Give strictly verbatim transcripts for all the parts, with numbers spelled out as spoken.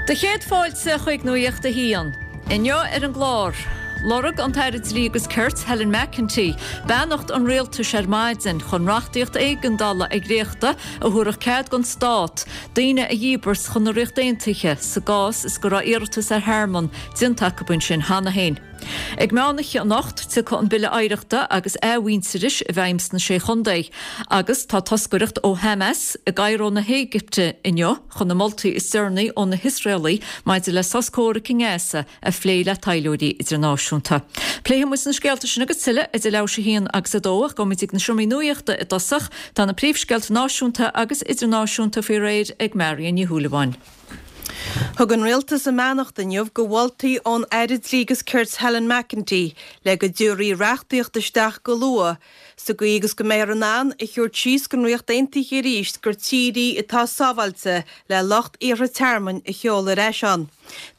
Do chéad fáilte chuig Nuacht a hAon. Inniu ar an gclár. Lorg an tAire Dlí agus Cirt Helen McEntee, beannacht an rialtais ar maidin chun reachtaíocht éigeandála a dhréachtú a thabharfadh cead don stát, daoine a dhíbirt chun na Ríochta Aontaithe sa gcás is go raibh iarratas ar thearmann déanta acu ansin cheana féin. Ag meánoíche anocht tiocfaidh an Bille Oidhreachta agus Athmhuintearais i bhfeidhm sna sé chontae, agus tá toscaireacht ó Hamas i gCairo na hÉigipte inniu chun na moltaí is deireanaí ó na hIosraelaigh maidir le sos comhraic i nGaza a phlé le taidhleoirí idirnáisiúnta. Pléifidh muid na scéalta sin agus tuilleadh idir leathuair théis a haon agus a dó ach gabhfaimid chuig na seomraí nuachta i dtosach tá na príomhscéalta náisiúnta agus idirnáisiúnta faoi réir ag Marion Ní Shúilleabháin. Thug an rialtas a mbeannacht inniu do mholtaí ón Aire Dlí agus Cirt Helen McEntee le go dtabharfaí reachtaíocht isteach go luath sa gcaoi agus go mbeifear in ann a thabhairt síos don Ríocht Aontaithe arís gur tír í atá sábháilte le lucht iarrtha tearmainn a sheoladh ar ais ann.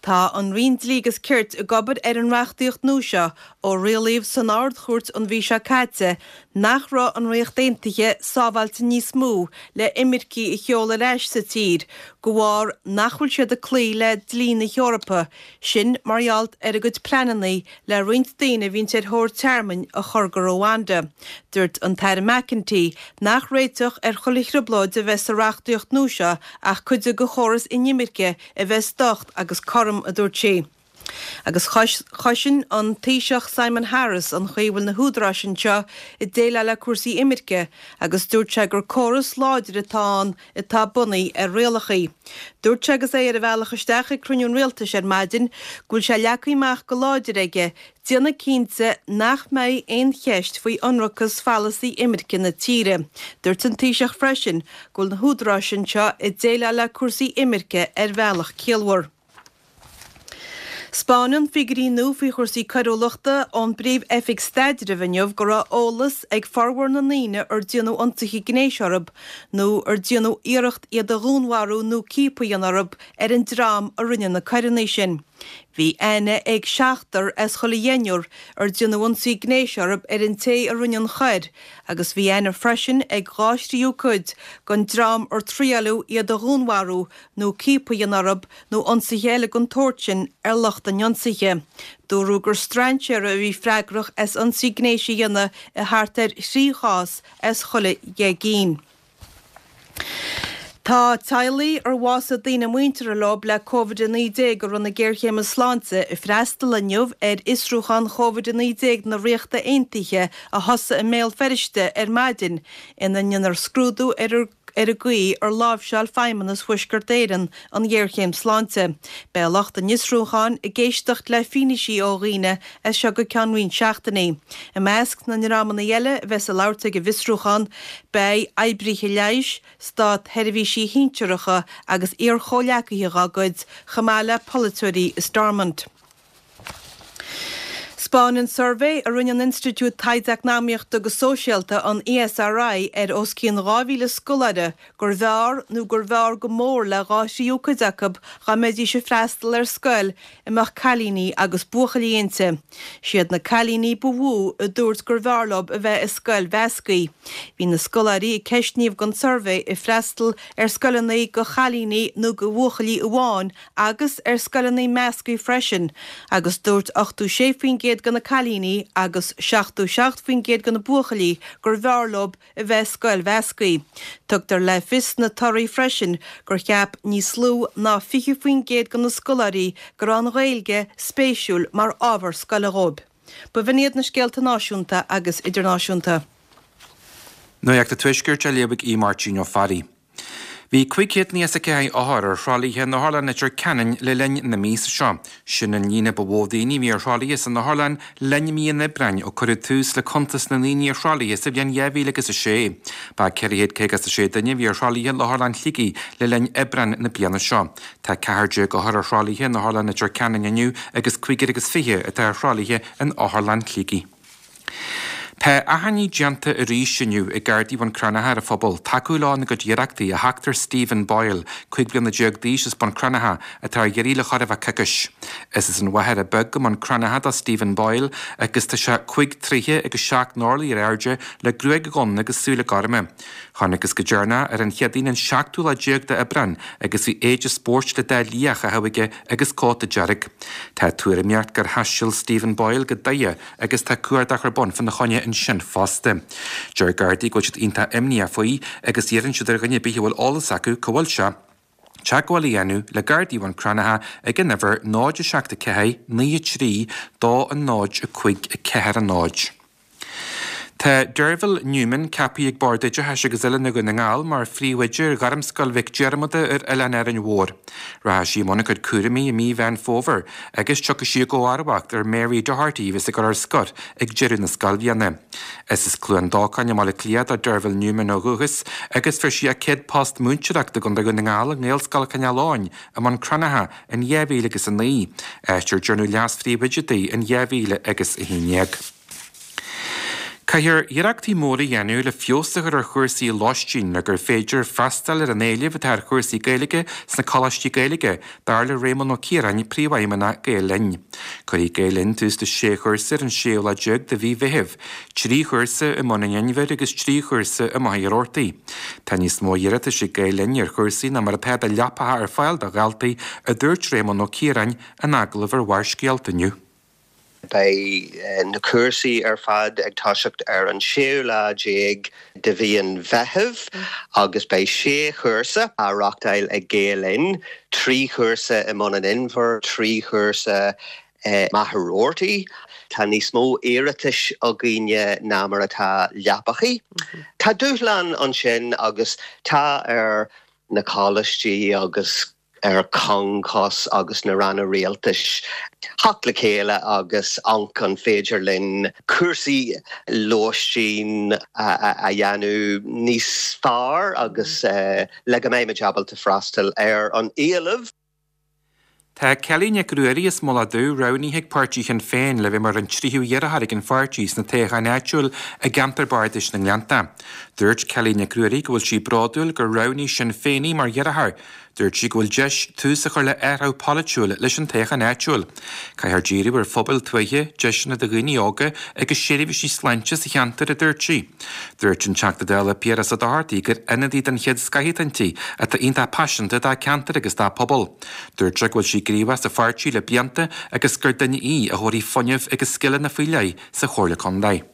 Tá an Roinn Dlí agus Cirt ag obair ar an reachtaíocht nua seo ó rialaíodh san Ard-Chúirt an mhí seo caite nach raibh an Ríocht Aontaithe sábháilte níos mó le imircigh a sheoladh ar ais sa tír, de bharr nach bhfuil siad ag cloí le dlí na hEorpa, sin mar gheall ar a gcuid pleananna le roinnt daoine a bhíonn ar thóir tearmainn a chur go Rwanda. Dúirt an tAire McEntee nach réiteach ar chuile thrioblóid a bheas sa reachtaíocht nua seo ach cuid de chóras inimirce a bheas docht agus cothrom, a dúirt sí. Agus chosain an Taoiseach Simon Harris an chaoi a bhfuil na húdaráis anseo ag déileáil le cúrsaí imirce agus dúirt sé gur córas láidir atá ann atá bunaithe ar rialacha. Dúirt sé agus é ar a bhealach isteach ag cruinniú an rialtais ar maidin go bhfuil sé leagtha amach go láidir aige déanamh cinnte nach mbeidh aon cheist faoi ionracas pholasaí imirce na tíre. Dúirt an Taoiseach freisin go bhfuil na húdaráis anseo ag déileáil le cúrsaí imirce ar bhealach ciallmhar. 'Spáineann figiúirí nua faoi chúrsaí coiriúlachta ón bPríomh-Oifig Staidrimh inniu go raibh eolas ag formhór na ndaoine ar déanadh ionsaithe gnéis orthu nó ar déanadh iarracht iad a dhúnmharú nó ciapadh a dhéanamh orthu ar an dream a rinne na coireanna sin. Bhí aithne ag seachtar as chuile dheichniúr ar déanadh ionsaí gnéis orthu ar an té a rinne an choir agus bhí aithne freisin ag dhá thríú cuid den dream ar triaileadh iad a dhúnmharú nó ciapadh a dhéanamh orthu nó ionsaithe eile den tsórt sin ar lucht an ionsaithe. Dúradh gur strainséara a bhí freagrach as ionsaí gnéis a dhéanamh i thart ar thrí chás as chuile dheich gcinn. Tá teaghlaigh ar bhásaigh daoine muinteartha leo le Covid a naoi déag i rith na géarchéime sláinte ag freastal inniu ar fhiosrúchán Covid a naoi déag na Ríochta Aontaithe a thosaigh i mBéal Feirste ar maidin ina ndéanfar scrúdú ar ar an gcaoi ar láimhseáil Feidhmeannas Thuaisceart Éireann an ghéarchéim sláinte. Beidh lucht an fhiosrúcháin ag éisteacht le fianaise ó dhaoine as seo go ceann roinnt seachtainí. I measc na ndreamanna eile a bheas ag labhairt ag an bhfiosrúchán beidh oibrithe leighis, státsheirbhísigh shinsearacha agus iar-chomhghleacaithe dá gcuid, chomh maith le polaiteoirí i Stormont. 'Spáineann suirbhé a rinne an Institiúid Taighde Eacnamaíochta agus Sóisialta, an ESRI, ar os cionn dhá mhíle scoláire gurbh fhearr nó gurbh fhearr go mór le dhá thríú cuid acu dá mbeidís ag freastal ar scoil a mbeadh cailíní agus buachaillí inti. Siad na cailíní ba mhó a dúirt gurbh fhearr leo a bheith i scoil mheasctha. Bhí na scoláirí a ceistníodh don suirbhé ag freastal ar scoileanna do chailíní nó do bhuachaillí amháin agus ar scoileanna measctha freisin agus dúirt ochtó sé faoin gcéad de na cailíní agus seachtó seacht faoin gcéad de na buachaillí gurbh fhearr leo a bheith i scoil mheasctha. Tugtar le fios sna torthaí freisin gur cheap níos lú ná fiche faoin gcéad de na scoláirí go raibh an Ghaeilge spéisiúil mar ábhar scoile dhóibh. B'in iad na scéalta náisiúnta agus idirnáisiúnta. Nuacht an Tuaiscirt á léamh ag Aodh Máirtín Ó Fearraigh. Bhí cúig chéad nócha is a ceathair othar ar thralaithe in Otharlann Leitir Ceanainn le linn na míosa seo. Sin an líon ba mhó daoine a bhí ar thralaithe san otharlann le linn mí an Aibreáin ó cuireadh tús le cuntas na ndaoine ar thralaithe sa bhliain dhá mhíle agus a sé. Ba ceithre chéad caoga is a sé duine a bhí ar thralaithe in Otharlann Shligigh le linn Aibreán na bliana seo. Tá ceathair déag othar ar thralaithe in Otharlann Leitir Ceanainn inniu agus cúigear agus fiche atá ar thralaithe in Otharlann Shligigh. Tá achainí déanta arís inniu ag Gardaí Bhun Cranncha ar an phobal tacú leo ina gcuid iarrachtaí a theacht ar Stephen Boyle, cúig bliana déag d'aois as Bun Cranncha, atá ar iarraidh le chóir a bheith coicís. Is as an Mhachaire Bheag i mBun Cranncha do Stephen Boyle agus tá sé cúig troighe agus seacht n-orlaí ar airde le gruaig dhonn agus súile gorma. Chonacthas go deireanach ar an Chéadaoin an seachtú lá déag d'Aibreán agus bhí éide spóirt le dath liath á chaitheamh aige agus cóta dearg. Tá tuairimíocht gur thaistil Stephen Boyle go Doire agus tá cuardach ar bun fána choinne ansin fosta. Deir Gardaí go bhfuil siad iontach imníoch faoi agus iarrann siad ar dhuine ar bith a bhfuil eolas acu cá bhfuil sé, teagmháil a dhéanamh le Gardaí Bhun Cranncha ag an uimhir náid a seacht a ceathair naoi a trí dó a náid a cúig a ceathair a náid. Tá Derville Newman ceaptha ag Bord Oideachais agus Oiliúna Dhún na nGall mar phríomhoide ar Ghairmscoil Mhic Diarmada ar Oileán Árainn Mhór. Rachaidh sí i mbun a cuid cúraimí i mí Mheán Fómhair agus tiocfaidh sí i gcomharbacht ar Mary Doherty a bheas ag dul ar scor ag deireadh na scoilbhliana. Is as Cluain Dolcáin i mBaile Átha Cliath do Derville Newman ó dhúchas agus fuair sí a céad post múinteoireachta i gContae Dhún na nGall i nGaelscoil Chineál Eoghain i mBun Cranncha in dhá mhíle agus a naoi, áit ar dearnadh leas-phríomhoide di in dhá mhíle agus a haon déag. Caithfear iarrachtaí móra a dhéanamh le feabhas a chur ar chúrsaí lóistín le gur féidir freastal ar an éileamh atá ar chúrsaí Gaeilge sna coláistí Gaeilge, dar le Réamonn Ó Ciaráin, Príomhfheidhmeannach Gael Linn. Cuirfidh Gael Linn tús le sé chúrsa ar an séú lá déag de mhí Mheithimh, trí chúrsa i mBun an Inbhir agus trí chúrsa i Machaire Rabhartaigh. Tá níos mó iarratais ag Gael Linn ar chúrsaí ná mar atá de leapacha ar fáil do dhaltaí, a dúirt Réamonn Ó Ciaráin in agallamh ar Bharrscéalta inniu. Beidh na cúrsaí ar fad ag toiseacht ar an séú lá déag de mhí an Mheithimh agus beidh sé chúrsa á reáchtáil ag Gael Linn, trí chúrsa i mBun an Inbhir, trí chúrsa i Machaire Rabhartaigh. Tá níos mó iarratais againne ná mar atá leapachaí. Tá dúshlán ansin agus tá ar na coláistí agus ar Concos agus na ranna rialtais theacht le chéile agus amharc an féidir linn cúrsaí lóistín a dhéanamh níos fearr agus le go mbeimid ábalta freastal ar an éileamh. Tá Kelly Nic Ruairí as Mullach Dubh roghnaithe ag páirtí Shinn Féin le bheith mar an tríú iarrthóir ag an pháirtí sna toghcháin áitiúil i gceantar bardais na nGleannta. Dúirt Kelly Nic Ruairí go bhfuil sí bródúil gur roghnaigh Sinn Féin í mar iarrthóir. Dúirt sí go bhfuil deis tús a chur le athrú polaitiúil leis an toghchán áitiúil. Caithfear díriú ar phobail tuaithe, deiseanna do dhaoine óga agus seirbhísí sláinte sa cheantar, a dúirt sí. Dúirt an Teachta Dála Piaras Ó Dochartaigh gur ionadaí den chéad scoth atá inti atá iontach paiseanta dá ceantar agus dá pobal. Dúirt sé go bhfuil sí gníomhach sa pháirtí le blianta agus gur duine í a thabharfaidh fuinneamh agus scileanna faoi leith sa Chomhairle Contae.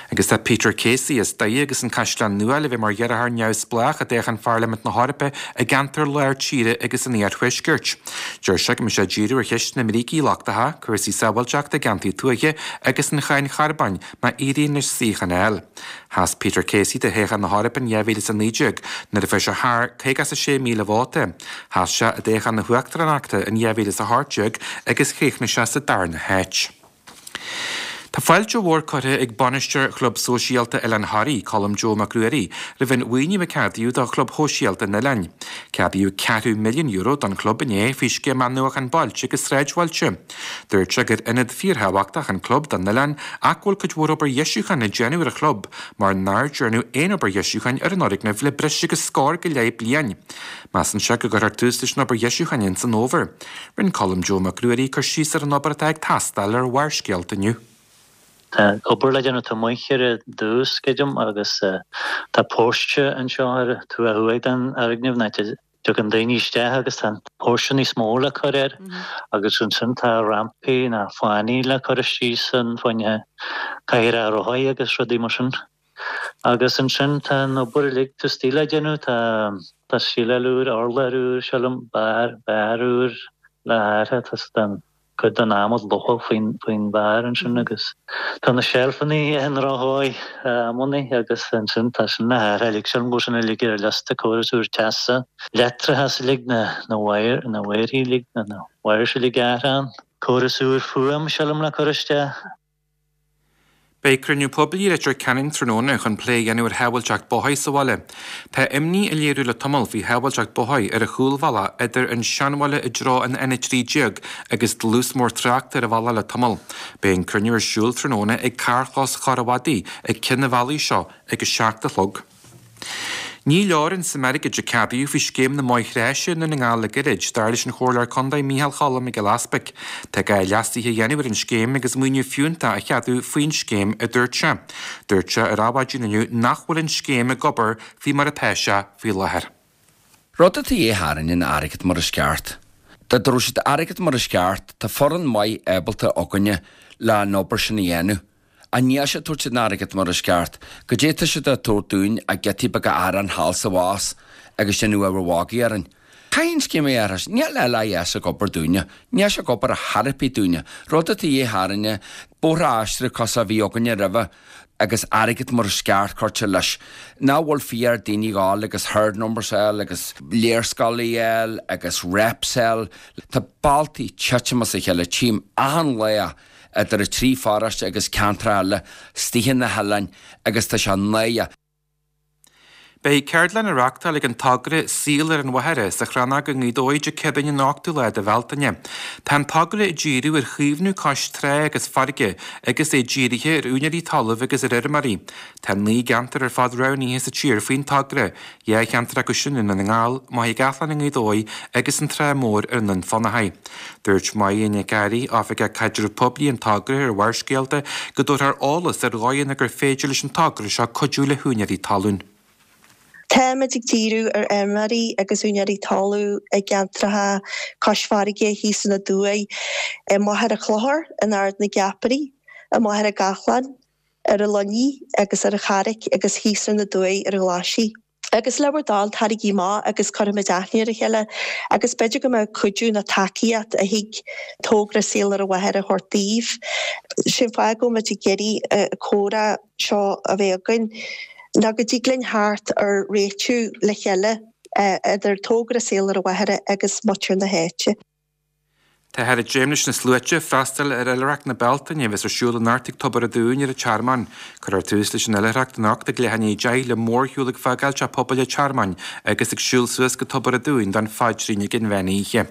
Agus tá Peter Casey as Doire agus an Caisleán Nua le bheith mar iarrthóir neamhspleách i dtoghchán Pharlaimint na hEorpa i gceantar lár tíre agus an iarthuaiscirt. Deir sé go mbeidh sé ag díriú ar cheist na mbrící lochtacha, cúrsaí sábháilteachta i gceantair tuaithe agus an cháin charbóin má éiríonn leis suíochán a fháil. Sheas Peter Casey do thoghchán na hEorpa in dhá mhíle is a naoi déag nuair a fuair sé thar caoga is a sé míle vóta. Sheas sé i dtoghchán na huachtaránachta in dhá mhíle is a hocht déag agus chríochnaigh sé sa darna háit. Tá fáilte mhór curtha ag bainisteoir Chlub Sóisialta Oileán Thoraí, Colm Joe Mac Ruairí, roimh an mhaoiniú a ceadaíodh do Chlub Shóisialta an Oileáin. Ceadaíodh ceathrú milliún euro don chlub inné faoi Scéim Athnuachan Bailte agus Sráidbhailte. Dúirt sé gur ionad fíorthábhachtach an club don oileán ach go bhfuil cuid mhór obair dheisiúcháin le déanamh ar an chlub mar nár dearnadh aon obair dheisiúcháin ar an fhoirgneamh le breis agus scór go leith bliain. Measann sé go gcuirfear tús leis an obair dheisiúcháin ins an fhómhar. Rinne Colm Joe Mac Ruairí cur síos ar an obair atá ag teastáil ar Bharrscéalta inniu. Tá obair le déanamh, tá muince ar dtús, creidim, agus tá póirse anseo ar an taobh thuaidh den fhoirgneamh, an áit a dtagann daoine isteach agus tá an póirse níos mó le cur air agus ansin tá rampaí nó fáinní le cur istigh san fá choinne cathaoireacha rothaí agus rudaí mar sin. Agus ansin tá an obair uilig taobh istigh le déanamh, tá tá síleáil úr, urlár úr, sílim, barr, barr úr le hathrú, tá an cuid den adhmad lofa faoin faoin bharr ansin agus tá na seilfeanna ar an ndrochthdóigh amannaí agus ansin tá sin le hathrú uilig, sílim go bhfuil sin uilig ar an liosta, córas úr teasa, leictreachas uilig, na na wire na wire uilig, na wires uilig a athrú ann, córas úr fuaim sílim le cur isteach. Beidh cruinniú poiblí i Leitir Ceanainn tráthnóna chun plé a dhéanamh ar shábháilteacht bóthair sa bhaile. Tá imní á léiriú le tamall faoi shábháilteacht bóthair ar an chúlbhealach idir an Seanbhaile i dtreo an N a trí déag agus dlús mór tráchta ar an bhealach le tamall. Beidh an cruinniú ar siúl tráthnóna ag carrchlós Chorr an Mhadaidh ag ceann an bhealaigh seo ag a seacht a chlog. Ní leor an suim airgid a ceadaíodh faoi scéim na mbóithre áise i nDún na nGall le gairid, dar leis an Chomhairleoir Contae Micheál Cholm Mac Giolla Easpaig. Tá gá leasuithe a dhéanamh ar an scéim agus maoiniú fiúntach a cheadú faoin scéim, a dúirt sé. Dúirt sé ar Adhmhaidin inniu nach bhfuil an scéim ag obair faoi mar atá sé faoi láthair. Rud atá de dhíth orainne ná airgead mar is ceart. Dá dtabharfadh siad airgead mar is ceart, tá foireann maith ábalta againne le an obair sin a dhéanamh. Ach níl siad ag tabhairt an airgead mar is ceart, goidé tá siad a tabhairt dúinn ach giotaí beaga aráin thall 's abhus agus déanamh ábhar mhagaidh orainn. Caithfidh an scéim a athrú, níl LIS ag obair dúinne, níl sé ag obair ar chor ar bith dúinne. Rud atá de dhíth orainne, bóithre a aistriú cosúil a bhí againne roimhe agus airgead mar is ceart curtha leis. Nach bhfuil fiú ar daoine dhul agus herd numbers a fháil agus léarscáil a fháil agus reps a fháil. Tá bealtaí titim as a chéile, tchím achan lá idir an trí pharóiste agus ceantracha eile istigh na hoileáin agus tá sé náireach. Beidh ceardlann á reáchtáil ag an togra Saol ar an Mhachaire sa Chrannóg i nGaoth Dobhair Dé Céadaoin an ochtú lá de Bhealtaine. Tá an togra ag díriú ar chaomhnú cois trá agus farraige agus é dírithe ar úinéirí talaimh agus ar fheirmeoirí. Tá naoi gceantar ar fad roghnaithe sa tír faoin togra, dhá cheantar acu sin i nDún na nGall, Machaire Gathlán i nGaoth Dobhair agus an Trá Mhór ar an nDún Fionnachaidh. Dúirt Máire Nic Fhearraigh, Oifigeach Caidreamh Poiblí an togra ar Bharrscéalta, go dtabharfar eolas ar dhóigheanna gur féidir leis an togra seo cuidiú le húinéirí talún. Táimid ag díriú ar fheirmeoirí agus úinéirí talún i gceantracha cois farraige thíos in Aduaidh, i Machaire Chlochair, in Ard na gCeapairí, i Machaire Gathlán, ar an Luinnigh agus ar an Charraic agus thíos ar na Dumhaigh ar an Ghlaisigh. Agus le bhur dtoil, taraigí amach agus cuirfimid aithne ar a chéile agus b'fhéidir go mbeadh cuidiú nó tacaíocht a thig togra Saol ar an Mhachaire a thabhairt daoibh. Sin fáth go bhfuil muid ag iarraidh comhrá seo a bheith againn. ná go dtig linn theacht ar réitiú le chéile idir togra Saol ar an Mhachaire agus muintir na háite. Táthar ag dréim leis na sluaite freastal ar Oilithreacht na Bealtaine a bheas ar siúl anocht ag Tobar an Dúin ar an Tearmann. Cuirfear tús leis an oilithreacht anocht ag leath i ndiaidh a deich le mórshiúl ag fágáil Teach Pobail an Tearmainn agus ag siúl suas go Tobar an Dúin don phaidrín ag an mheán oíche.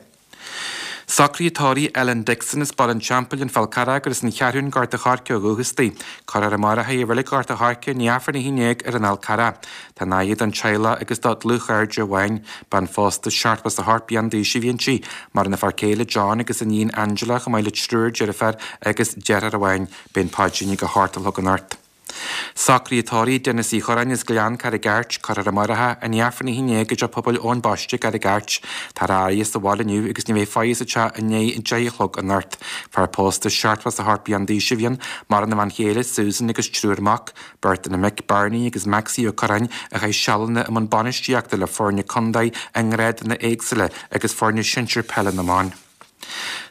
Socruithe tórraimh Ellen Dixon as Baile an Teampaill, An Fál Carrach gur as an Cheathrún, Gort a' Choirce ó dhúchas di. Cuirfear amárach í i Reilig Ghort a' Choirce i ndiaidh Aifreann a haon déag ar an Fhál Carrach. Tá an fhaire don teaghlach agus dá dlúthchairde amháin. Bean phósta seachtó is a hocht bliain d'aois a bhí inti. Maireann a fear céile John agus a níon Angela chomh maith le triúr deirféar agus deartháir amháin. Beidh an paidrín ag a hocht a chlog anocht. Socruithe tórraimh Denis Uí Churráin as Gleann Carraig Airt, cuirfear amárach é i ndiaidh Aifreann a haon déag i dTeach Pobail Eoin Baiste, Carraig Airt. Táthar á fhaire sa bhaile inniu agus ní bheidh faire sa teach i ndiaidh a deich a chlog anocht. Fear pósta seachtó is a hocht bliain d'aois a bhí ann, maireann a bhean chéile Susan agus triúr mac, beirt de na mic Barney agus Maxie Ó Curráin a chaith sealanna i mbun bainistíochta le foirne contae i ngrádanna éagsúla agus foirne sinsir peile na mban.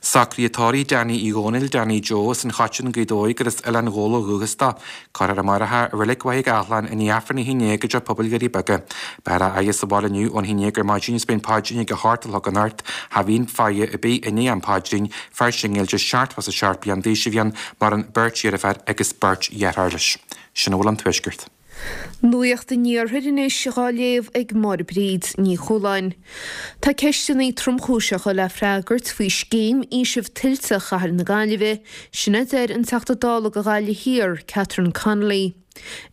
Socruithe tórraimh Danny Uí Dhónaill, Danny Joe, as an Choiteann, Gaoth Dobhair gur as Oileán Ghabhla ó dhúchas dó. Cuirfear amárach é i Reilig Mhachaire Gathlán i ndiaidh Aifreann a haon déag i dTeach Pobail Dhoirí Beaga. Beifear á fhaire sa bhaile inniu ón haon déag ar maidin is beidh an paidrín ag a hocht a chlog anocht. Cha bhíonn faire ar bith i ndiaidh an phaidrín, fear singil de seachtó is a seacht bliain d'aois a bhí ann, maireann beirt dheirféar agus beirt dheartháir leis. Sin a bhfuil ón Tuaisceart. Nuacht an Iarthair anois á léamh ag Máire Bríd Ní Chualáin. Tá ceisteanna tromchúiseacha le freagairt faoi scéim fhaoisimh tuilte Chathair na Gaillimhe, sin a deir an Teachta Dála do Ghaillimh Thiar, Catherine Connolly.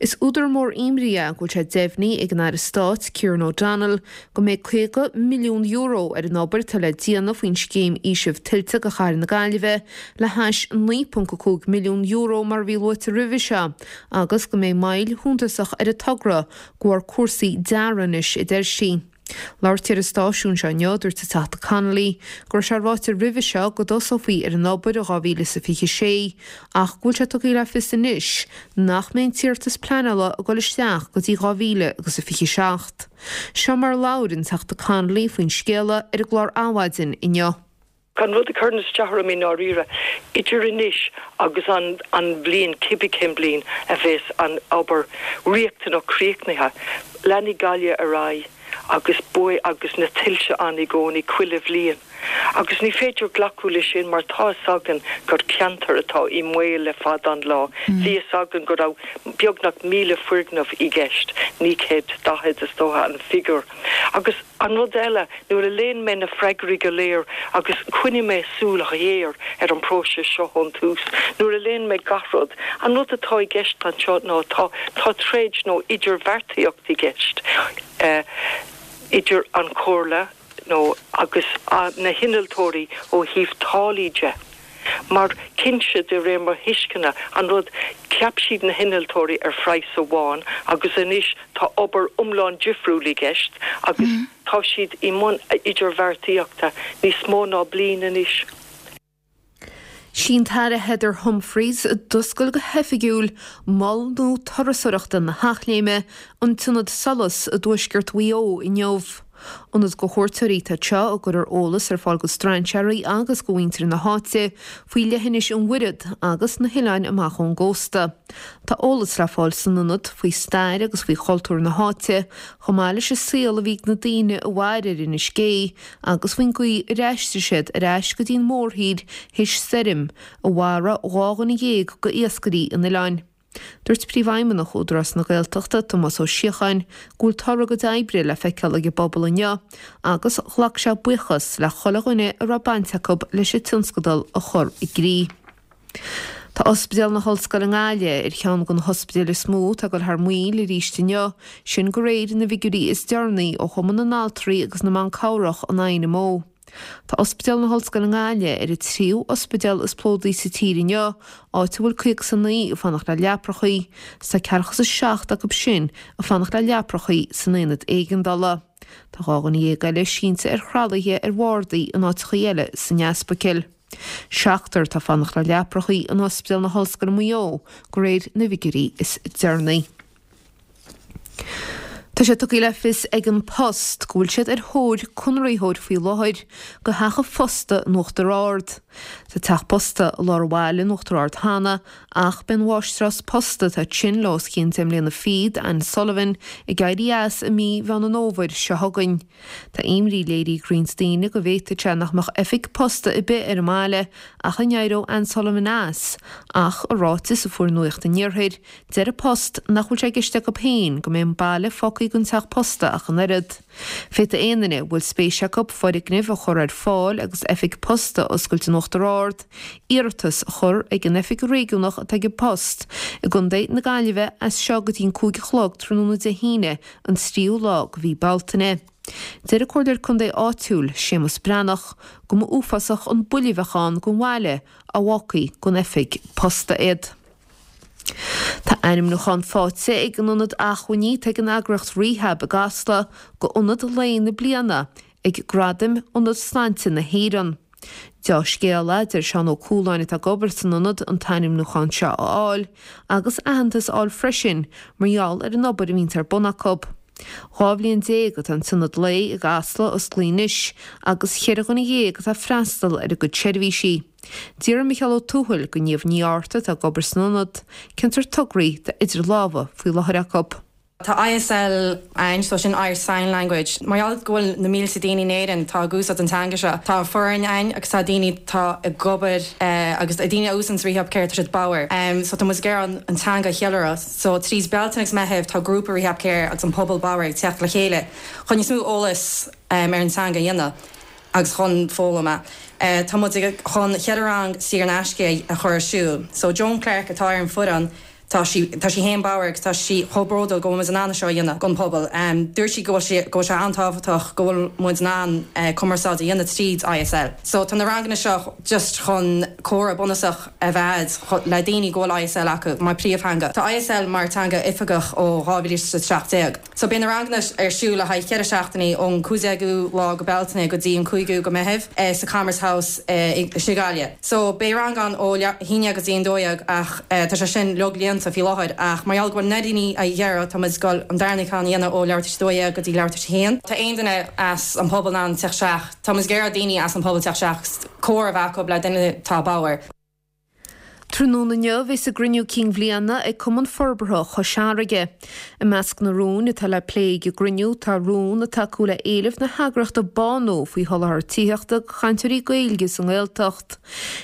Is údar mór imní é go bhfuil sé deimhnithe ag an Aire Stáit, Kieran O'Donnell, go mbeidh caoga milliún euro ar an obair atá le déanamh faoin scéim fhaoisimh tuilte do Chathair na Gaillimhe le hais naoi ponc a cúig milliún euro mar a bhí luaite roimhe seo agus go mbeidh moill shuntasach ar an togra de bharr cúrsaí dearaidh anois, a deir sí. Labhairt ar an stáisiún seo inniu, dúirt an Teachta Connolly go raibh sé ráite roimhe seo go dtosófaí ar an obair i dhá mhíle is a fiche sé ach go bhfuil sé tugtha le fios anois nach mbeidh an t-iarratas pleanála ag dul isteach go dtí dhá mhíle agus a fiche seacht. Seo mar a labhair an Teachta Connolly faoin scéala ar an gclár Adhmhaidin inniu. An rud a chuireann isteach orm i ndáiríre, idir anois agus an an bhliain, cibé cén bliain a bheas an obair riachtanach críochnaithe, leanfaidh Gaillimh ar aghaidh agus baol agus na tuilte ann i gcónaí chuile bhliain. Agus ní féidir glacadh leis sin mar tá againn gur ceantar atá i mbaol le fada an lá. Mm. Bhí againn go raibh beagnach míle foirgneamh i gceist, naoi gcéad daichead is dócha an figiúr. Agus an rud eile nuair a léigh mé na freagraí go léir agus choinnigh mé súil ghéar ar an próiseas seo ón tús. Nuair a léigh mé gach rud, an rud atá i gceist anseo ná tá tá troid nó idirbheartaíocht i gceist. Uh, idir an Chomhairle nó agus na hinnealtóirí ó thaobh táillí de. Mar cinnte de réir mo thuisceana an rud cheap siad na hinnealtóirí ar phraghas amháin agus anois tá obair iomlán difriúil i gceist agus mm -hmm. tá siad i mbun idirbheartaíochta níos mó ná bliain anois. Sí an tAire Heather Humphreys a d'oscail go hoifigiúil mol nua turasóireachta na hEachléime an tIonad Solais i dtuaisceart Mhaigh Eo inniu. Ionad do chuairteoirí atá anseo a gcuirfear eolas ar fáil go strainséirí agus go mhuintir na háite faoi leithinis an Mhuiread agus na hoileáin amach ón gcósta. Tá eolas le fáil san ionad faoi stair agus faoi chultúr na háite, chomh maith leis an saol a bhí ag na daoine a mhair ar Inis Gé agus faoin gcaoi ar aistrigh siad ar ais go dtí an mórthír théis stoirm a mharaigh dhá dhuine dhéag go iascairí an oileáin. Dúirt Príomhfheidhmeannach Údarás na Gaeltachta Tomás Ó Síocháin go bhfuil toradh a gcuid oibre le feiceáil ag an bpobal inniu agus ghlac sé buíochas le chuile dhuine a raibh baint acu leis an tionscadal a chur i gcrích. Tá Ospidéal na hOllscoile i nGaillimh ar cheann de na hospidéil is mó atá ag dul thar maoil arís inniu, sin de réir na bhfigiúirí is deireanaí ó Chumann na nAltraí agus na mBan Cabhrach an INMO. Tá Ospidéal na hOllscoile i nGaillimh ar an tríú ospidéal is plódaí sa tír inniu, áit a bhfuil caoga is a naoi ag fanacht le leaprachaí, is tá ceathracha is a seacht acu sin ag fanacht le leaprachaí san aonad éigeandála. Tá dhá dhuine dhéag eile sínte ar thralaithe ar bhardaí in áiteachaí eile san ospidéal. Seachtar atá ag fanacht le leaprachaí in Ospidéal na hOllscoile Maigh Eo de réir na bhfigiúirí is deireanaí. Tá sé tugtha le fios ag An Post go bhfuil siad ar thóir conraitheoir faoi láthair do theach an phosta in Uachtar Ard. Tá teach posta i lár an bhaile in Uachtar Ard cheana ach beidh an mháistreás posta atá ansin le os cionn deich mbliana fichead, Anne Sullivan, ag éirí as i mí Mheán an Fhómhair seo chugainn. Tá imní léirithe ag roinnt daoine go bhféadfadh sé nach mbeadh oifig posta ar bith ar an mbaile ach a n-éireodh Anne Sullivan as, ach i ráiteas a fuair Nuacht an Iarthair, deir An Post nach bhfuil sé i gceist acu féin go mbeidh an baile fágtha gan teach posta ach an oiread. Féadfaidh aon duine a bhfuil spéis acu foirgneamh a chur ar fáil agus oifig posta a oscailt in Uachtar Ard, iarratas a chur ag an oifig réigiúnach atá ag An Post i gContae na Gaillimhe as seo go dtí an cúig a chlog tráthnóna Dé hAoine an tríú lá de mhí Bealtaine. Deir an Comhairleoir Contae áitiúil, Séamus Breathnach, go mba uafásach an buille a bheadh ann don bhaile dá bhfágfaí gan oifig posta iad. Tá ainmniúchán faighte ag an Ionad Acmhainní atá ag an eagraíocht Rehab i gCasla go Ionad Lae na Bliana ag Gradaim Ionad Sláinte na hÉireann. Dea-scéala, deir Seán Ó Cualáin atá ag obair san ionad an t-ainmniúchán seo a fháil agus aitheantas a fháil freisin mar gheall ar an obair a bhíonns ar bun acu. Dhá bhliain déag atá an tIonad Lae i gCasla osclaithe anois agus cheithre dhuine dhéag atá ag freastal ar a gcuid seirbhísí. D'iarr Micheál Ó Tuathail de Niamh Ní Fhátharta atá ag obair san ionad, cén sórt tograí atá idir lámha faoi láthair acu. Tá ISL ann so sin Irish Sign Language. Mar gheall go bhfuil na mílte daoine in Éirinn tá ag úsáid an teanga seo. Tá foireann ann agus tá daoine tá ag obair eh, agus daoine a úsáideann Rehab Care tá siad bodhar. Um, so tá muid ag iarraidh an teanga a cheiliúradh. So trí Bealtaine agus Meitheamh tá grúpa Rehab Care agus an pobal bodhar ag teacht le chéile chun níos mó eolas um, ar an teanga a dhéanamh agus chun foghlaim. Uh, tá muid chun ceithre rang saor in aisce a chur ar siúl. So Joan Clark atá ar an foireann tá sí tá sí féin bodhar agus tá sí chomh bródúil go bhfuil muid in ann seo a dhéanamh don pobal. Um, dúirt sí go bhfuil sé go bhfuil sé an-tábhachtach go bhfuil muid in ann uh, cumarsáid a dhéanamh tríd ISL. So tá na ranganna seo just chun comhrá bunúsach a bheith le daoine go bhfuil ISL acu mar príomhtheanga. Tá ISL mar teanga oifigeach ó dhá mhíle is a seacht déag. So beidh na ranganna ar siúl le haghaidh ceithre seachtainí ón cúigiú déag lá go Bealtaine go dtí an cúigiú go Meitheamh eh, sa Commerce House eh, i Gaillimh. So beidh rang ann ó haon go dtí a dó dhéag ach eh, tá sé sin uilig líonta faoi láthair ach mar gheall go bhfuil na daoine a dhéará tá muid ag dul an darna ceann a dhéanamh ó leathuair tar éis a dó dhéag go dtí leathuair tar éis a haon. Tá aon duine as an pobal in ann teacht isteach. Tá muid ag iarraidh daoine as an pobal teacht isteach comhrá a bheith acu le duine atá bodhar. Tráthnóna inniu bheas a gcruinniú cinn bhliana ag Cumann Forbartha Chois Fharraige. I measc na rún atá le plé ag an gcruinniú tá rún ag tacú le éileamh na heagraíochta Bánú faoi sholáthar tithíochta do chainteoirí Gaeilge sa nGaeltacht.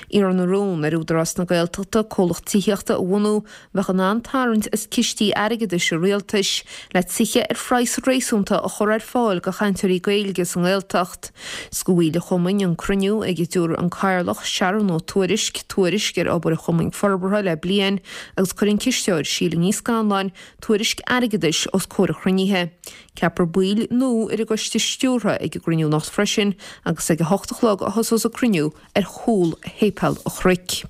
Iarrann an rún ar Údarás na Gaeltachta comhlacht tithíochta a bhunú a bheadh in ann tarraingt as cistí airgeadais an rialtais le tithe ar phraghas réasúnta a chur ar fáil do chainteoirí Gaeilge sa nGaeltacht. Is do bhaill an chumainn an cruinniú ag a dtabharfaidh an Cathaoirleach Sharon Ó Tuairisg tuairisc ar obair an Chumainn Forbartha le bliain agus cuirfidh an cisteoir Síle Ní Scanláin tuairisc airgeadais os comhair an chruinnithe. Ceapfar baill nua ar an gcoiste stiúrtha ag an gcruinniú anocht freisin agus ag a hocht a chlog a thosós an cruinniú ar chúl Shéipéal an Chnoic.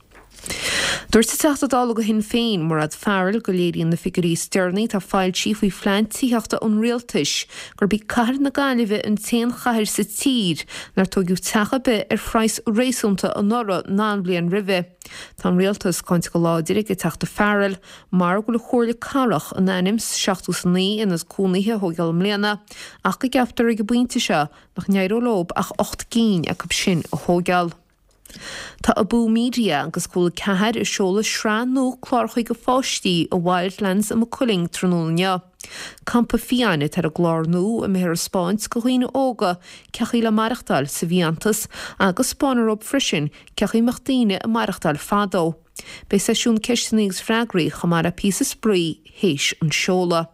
Dúirt an Teachta Dála do Shinn Féin, Mairéad Farrell, go léiríonn na figiúirí is deireanaí atá foilsithe faoi phlean tithíochta an rialtais gurb í cathair na Gaillimhe an t-aon chathair sa tír nár tóigeadh teach ar bith ar phraghas réasúnta anuraidh ná an bhliain roimhe. Tá an rialtas cáinte go láidir ag an Teachta Farrell mar go bhfuil an Chomhairle Cathrach in ainm is seachtó is a naoi ionad cónaithe a thóigeáil i mbliana ach go gceaptar ag an bpointe seo nach n-éireoidh leo ach ocht gcinn acu sin a thóigeáil. Tá Abú Media agus Cúla ceathair ag seoladh sraith nua cláracha do pháistí i Wildlands i Maigh Cuilinn tráthnóna inniu. Campa Fiáin atá ar an gclár nua a mbeifear ag 'spáint do dhaoine óga cén chaoi le maireachtáil sa bhfiántas agus 'spáinfear dóibh freisin cén chaoi a mbeadh daoine ag maireachtáil fadó. Beidh seisiún ceisteanna agus freagraí chomh maith le píosa spraoi théis an seoladh.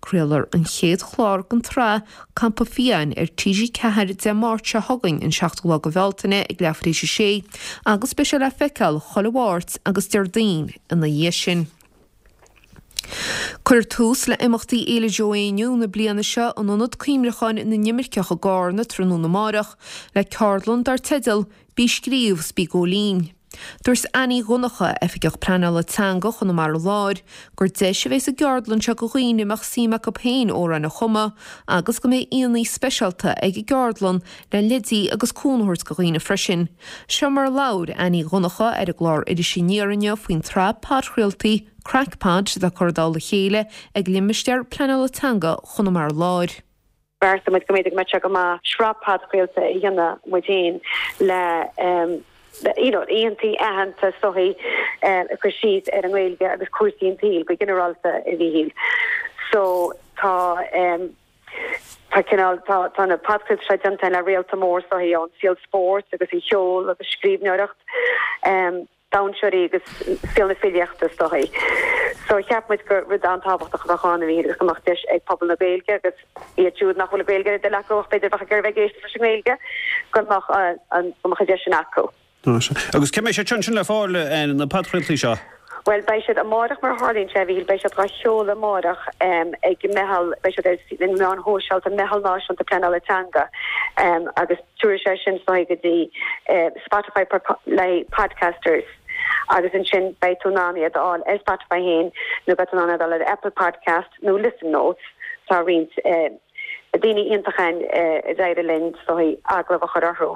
Craolfar an chéad chlár den tsraith Campa Fiáin ar T G ceathair Dé Máirt seo chugainn, an seachtú lá de Bhealtaine ag leathuair tar éis a sé agus beidh sé le feiceáil chuile Mháirt agus Déardaoin ina dhiaidh sin. Cuirfear tús le imeachtaí Fhéile Joe Éinniú na bliana seo in Ionad Cuimhneacháin na nImirceach i gCarna tráthnóna amárach le ceardlann dar teideal Bí Scríobh 's Bí Góilín. Dúirt Annie Dhonncha, Oifigeach Pleanála Teanga Chonamara Láir, gur deis a bheidh sa gceardlann seo do dhaoine a mbeadh suim acu féin amhráin a chumadh agus go mbeidh aíonna speisialta ag an gceardlann le leidí agus cúnamh a thabhairt do dhaoine freisin. Seo mar a labhair Annie Dhonncha ar an gclár Iris Aniar inniu faoin tsraith podchraoltaí Craic Pod atá curtha i dtoll a chéile ag Limistéar Pleanála Teanga Chonamara Láir. Bheartaigh muid go mb'fhéidir go mbeadh sé go maith sraith podchraolta a dhéanamh muid féin le you know aíonna aitheanta is dóichí ag cur síos ar an nGaeilge agus cúrsaí an tsaoil go ginearálta a Mhíchíl. So tá tá cineál tá tá na podchraoltaí seo déanta le réalta mór is dóichí ón saol spóirt agus an cheoil agus scríbhneoireacht. Dainséaraí agus saol na filíochta is dóichí. So cheap muid gur rud an-tábhachtach a bheadh ann a Mhíchíl agus go mbeadh deis ag pobal na Gaeilge agus iad siúd nach bhfuil Gaeilge ar a dtoil acu ach b'fhéidir bheadh ag iarraidh bheith ag éisteacht leis an nGaeilge, go mbeadh an go mbeadh an deis sin acu. Agus cá mbeidh siad sin le fáil, na podchraoltaí seo? Bhuel, beidh siad amárach mar a tharlaíonn sé, a Mhíchíl, beidh siad dhá sheoladh amárach ag Meitheal, beidh siad ar na meáin shóisialta, Meitheal Náisiúnta Pleanála Teanga agus tabharfaidh sé sin is dóichí go dtí Spotify le podcasters agus ansin beidh tú in ann iad a fháil ar Spotify féin nó beidh tú in ann iad a fháil ar Apple Podcast nó Listen Notes, tá roinnt. daoine iontacha ann a d'éirigh linn is dóichí agallamh a chur orthu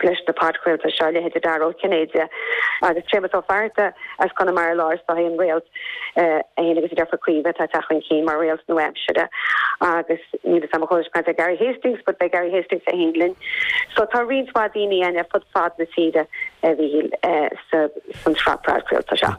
leis na podchraoltaí seo, leithéidí Dara Ó Cinnéide agus Séamus Ó Fátharta as Conamara Láir is dóichí an réalt é féin agus a deirfiúr Caoimhe atá ag teacht chun cinn mar réalt nua-aimsire agus níl fhios agam an chuala sibh caint ar Gary Hastings but beidh Gary Hastings é féin linn. So tá roinnt mhaith daoine ann ar fud fad na tíre a Mhíchíl san tsraith podchraolta seo.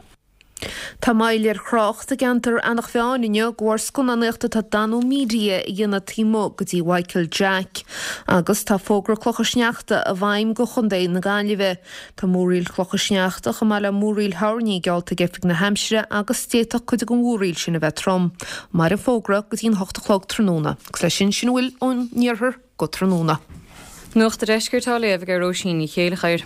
Tá moill ar thrácht i gceantar Eanach Mheáin inniu de bharr scannánaíocht atá Danú Media a dhéanamh taobh amuigh go dtí Mhichael Jack. Agus tá fógra clocha sneachta i bhfeidhm go Chontae na Gaillimhe. Tá múraíl chlocha sneachta chomh maith le múraíl thoirní geallta ag Oifig na hAimsire agus d'fhéadfadh cuid den mhúraíl sin a bheith trom. Mairfidh an fógra go dtí an hocht a chlog tráthnóna. Agus leis sin, sin a bhfuil ón iarthar go tráthnóna. Nuacht an Deiscirt á léamh ag Róisín Ní Chéilleachair.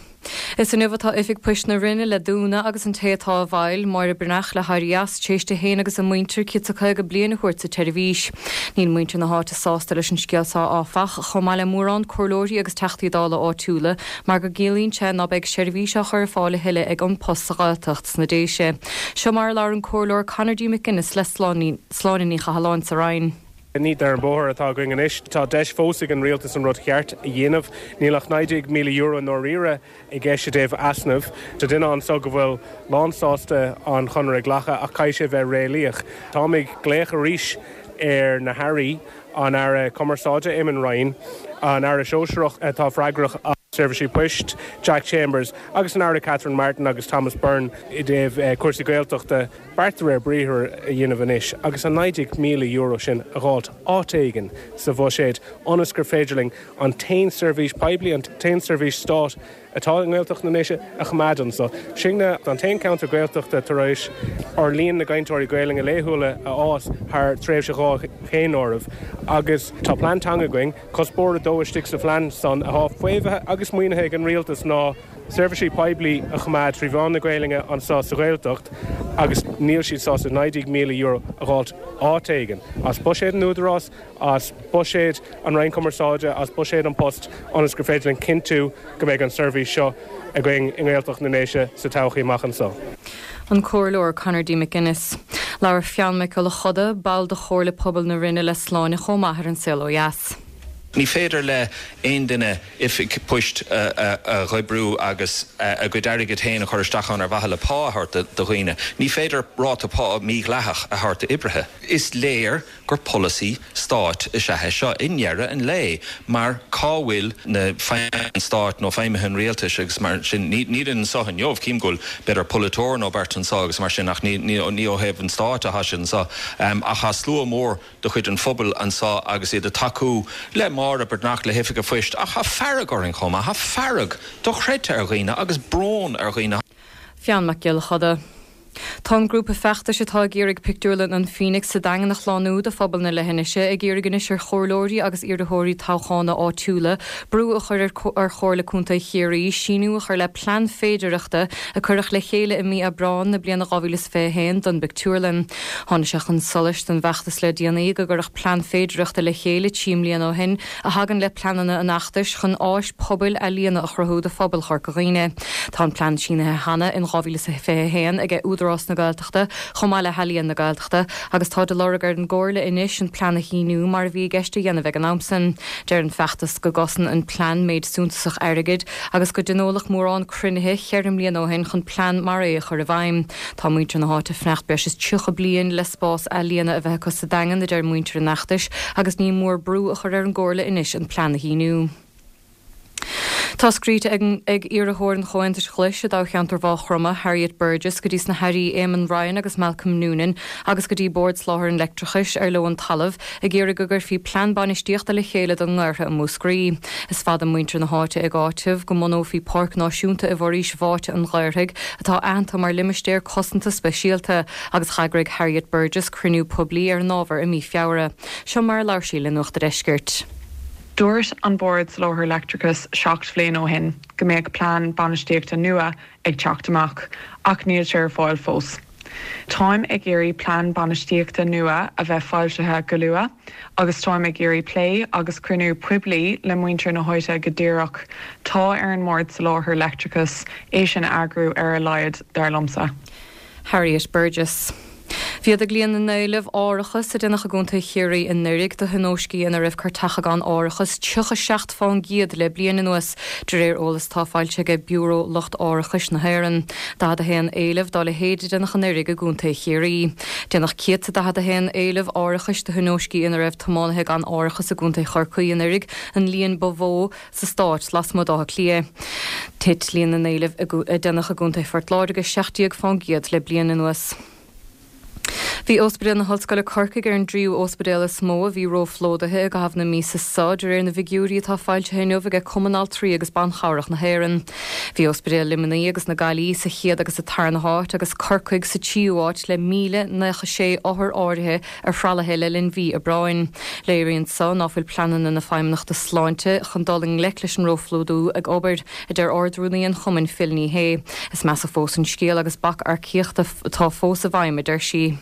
Is inniu atá Oifig Poist na Rinne le dúnadh agus an té atá i bhfeighil, Máire Breathnach, le héirí as, tar éis di féin agus a muintir céad 's a caoga bliain a thabhairt sa tseirbhís. Níl muintir na háite sásta leis an scéal seo áfach, chomh maith le mórán comhairleoirí agus Teachtaí Dála áitiúla, mar go gciallaíonn sé ná beidh seirbhís á chur ar fáil a thuilleadh ag An Post sa Ghaeltacht sna Déise. Seo mar a labhair an Comhairleoir Conor D. McGuinness le Sláine Ní Chathalláin sa Rinn. Ní ar an bóthar atá againn anois. Tá deis fós ag an rialtas an rud cheart a dhéanamh. Níl ach naoi déag míle euro i ndáiríre i gceist i dtaobh easnaimh. Tá duine anso go bhfuil lánsásta an chonradh a ghlacadh ach caithfidh sé bheith réalaíoch. Táim ag glaoch arís ar na hAirí, an Aire Cumarsáide Eamon Ryan, an Aire Sóisearach atá freagrach as. Seirbhísí Poist, Jack Chambers, agus an Aire Catherine Martin agus Thomas Byrne i dtaobh cúrsaí Gaeltachta, beart de réir briathair a dhéanamh anois agus an naoi déag míle euro sin a dh'fháilt áit éigin sa bhuiséad ionas gur féidir linn an t-aon seirbhís poiblí, an t-aon seirbhís stáit atá i nGaeltacht na nDéise a choimeád anso. Sinne an t-aon ceantar Gaeltachta tar éis ár líon na gcainteoirí Gaelainne laethúla a fhás thar tréimhse dhá dhaonáireamh agus tá plean teanga againn. Cuspóir a dó istigh sa phlean san atá faomhaithe agus maoinithe ag an Rialtas ná seirbhísí poiblí a choimeád trí mheán na Gaelainne anso sa Ghaeltacht agus níl siad sásta naoi déag míle euro a dh'fháilt áit éigin as buiséad an Údarás, as buiséad an Roinn Cumarsáide, as buiséad An Post ionas gur féidir linn cinntiú go mbeidh an seirbhís seo againn i nGaeltacht na nDéise sa todhchaí amach anso. An Comhairleoir Conor D. McGuinness. Labhair Fionn Mac Giolla Choda, ball de Chomhairle Pobail na Rinne le Sláine chomh maith ar An Saol Ó Dheas. Ní féidir le aon duine oifig poist a dh'oibriú agus a gcuid airgid féin a chur isteach ann ar mhaithe le pá a thabhairt do dhaoine. Ní féidir ráta pá mídhleathach a thabhairt d'oibrithe. Is léir gur polasaí stáit is ea é seo i ndeireadh an lae mar cá bhfuil na feidhmithe an stáit nó feidhmithe an rialtais agus mar sin níl anseo inniu. Cím go bhfuil b'fhéidir polaiteoir nó beirt anseo agus mar sin ach ní ní ó thaobh an stáit atá siad anseo. Ach tá slua mór de chuid an phobail anseo agus iad ag tacú le Máire Breathnach, le hOifig an Phoist, ach tá fearg orainn chomh maith, tá fearg dochreidte ar dhaoine agus brón ar dhaoine. Fionn Mac Giolla Choda. Tá an grúpa feachtais atá ag iarraidh pictiúrlann an Phoenix sa Daingean a shlánú do phobal na leithinise ag iarraidh anois ar chomhairleoirí agus iarrthóirí toghchána áitiúla brú a chur ar Chomhairle Contae Chiarraí síniú a chur le plean féidearthachta a cuireadh le chéile i mí Aibreáin na bliana dhá mhíle is fiche a haon don bpictiúrlann. Tháinig sé chun solais don bhfeachtas le déanaí go gcuireadh plean féidearthachta le chéile trí mbliana ó shin a thagann le pleananna an fheachtais chun áis pobail ealaíona a chruthú do phobal Chorca Dhuibhne. Tá an plean sínithe cheana in dhá mhíle is fiche a haon ag Údarás na Gaeltachta chomh maith le hEalaíon na Gaeltachta agus tá de lorg ar an gComhairle anois an plean a shíniú mar a bhí i gceist a dhéanamh ag an am san. Deir an feachtas go gcosann an plean méid suntasach airgid agus go dtionóladh mórán cruinnithe cheithre mbliana ó shin chun plean mar é a chur i bhfeidhm. Tá muintir na háite ag fanacht breis is tríocha bliain le spás ealaíona a bheith acu sa Daingean, a deir muintir an fheachtais, agus ní mór brú a chur ar an gComhairle anois an plean a shíniú. Tá scríte ag iarrthóir an Chomhaontais Ghlais i dtoghcheantar Mhaigh Chromtha, Harriet Burgess, go dtí sna hAirí Eamon Ryan agus Malcolm Noonan agus go dtí Bord Soláthair an Leictreachais ar leo an talamh, ag iarraidh go gcuirfí plean bainistíochta le chéile don nGaorthadh i Múscraí. Is fada muintir na háite ag áiteamh go mbunófaí páirc náisiúnta i bhforaois bháite an Ghaorthaidh atá aitheanta mar limistéar cosanta speisialta agus d'eagraigh Harriet Burgess cruinniú poiblí ar an ábhar i mí Feabhra. Seo mar a labhair sí le Nuacht a' Deiscirt. Dúirt an Bord Soláthair Leictreachais seacht bhliain ó shin go mbeadh plean bainistíochta nua ag teacht amach, ach níl sé ar fáil fós. Táim ag iarraidh plean bainistíochta nua a bheith foilsithe go luath agus táim ag iarraidh plé agus cruinniú poiblí le muintir na háite go díreach. Tá ar an mBord Soláthair Leictreachais é sin a eagrú ar a laghad, dar liomsa. Harriet Burgess. Mhéadaigh líon na n-éileamh árachais a déanadh i gContae Chiarraí anuraidh do thionóiscí ina raibh cairteacha gan árachas tríocha seacht fán gcéad le bliain anuas, de réir eolas atá foilsithe aige Biúró Lucht Árachais na hÉireann. daichead a haon éileamh dá leithéid a déanadh anuraidh i gContae Chiarraí. Déanadh céad 's a daichead a haon éileamh árachais do thionóiscí ina raibh tiománaithe gan árachas i gContae Chorcaí anuraidh, an líon ba mhó sa stát lasmuigh d'Átha Cliath. Thit líon na n-éileamh a déanadh i gContae Phort Láirge seacht déag fán gcéad le bliain anuas. Bhí Ospidéal na hOllscoile Corcaigh ar an dtríú ospidéal is mó a bhí róphlódaithe i gcaitheamh na míosa seo, de réir na bhfigiúirí atá foilsithe inniu aige Cumann Altraí agus Ban Chabhrach na hÉireann. Bhí Ospidéal Luimnigh agus na Gaillimhe sa chéad agus sa tarna háit agus Corcaigh sa tríú háit le míle naocha sé othar áirithe ar thralaithe le linn mhí Aibreáin. Léiríonn so ná fuil pleananna na Feidhmeannachta Sláinte chun dul i ngleic leis an róphlódú ag obair, a deir Ard-Rúnaí an chumainn Phil Ní Sheaghdha. Is measa fós an scéal agus bac earcaíochta atá fós i bhfeidhm, a deir sí.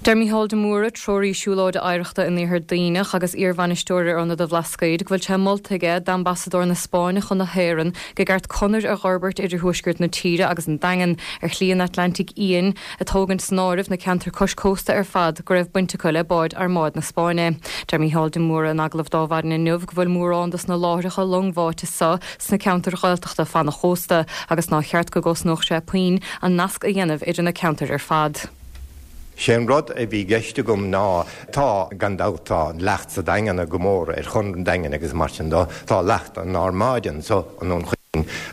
Deir Mícheál de Mórdha, treoraí siúlóide oidhreachta in Iarthar Duibhneach agus iarbhainisteoir ar Ionad an Bhlascaoid, go bhfuil sé molta aige d'ambasadóir na Spáinne chun na hÉireann go gceart conair a dh'fhorbairt idir thuaisceart na tíre agus an Daingean ar Shlí an Atlantaigh Fhiáin, ag tógaint san áireamh na ceantair cois cósta ar fad go raibh baint acu le báid Armáid na Spáinne. Deir Mícheál de Mórdha in agallamh d'Adhmhaidin inniu go bhfuil mórán dos na láithreacha longbháite so sna ceantair Ghaeltachta fan an chósta agus nár cheart go gcosnódh sé puinn an nasc a dhéanamh idir na ceantair ar fad. Sé an rud a bhí i gceist agam ná, tá, gan dabht, tá leacht sa Daingean go mór ar Chonradh an Daingin agus mar sin de, tá leacht an Armáid anso i nDún Chaoin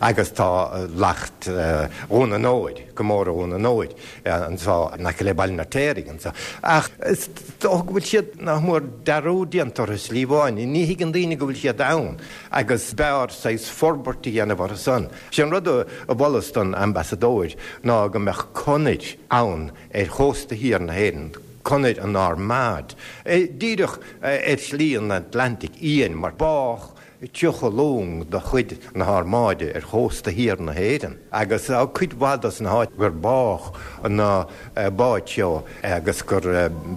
agus tá leacht Dhún an Óir, go mór Dhún an Óir anso in aice le Baile an Fheirtéaraigh anso. Ach is dócha go bhfuil siad nach mór dearúd déanta orthu slí amháin, ní thuigeann daoine go bhfuil siad ann agus b'fhearr saghas forbairt a dhéanamh orthu san. Sé an rud a mholfas don Ambasadóir ná go mbeadh conair ann ar chósta thiar na hÉireann, conair an Armáid, díreach ar Shlí an Atlantaigh Fhiáin, mar bádh tríocha long de chuid na hArmáide ar chósta thiar na hÉireann, agus tá cuid mhaith dos na háit gur bádh na báid seo agus gur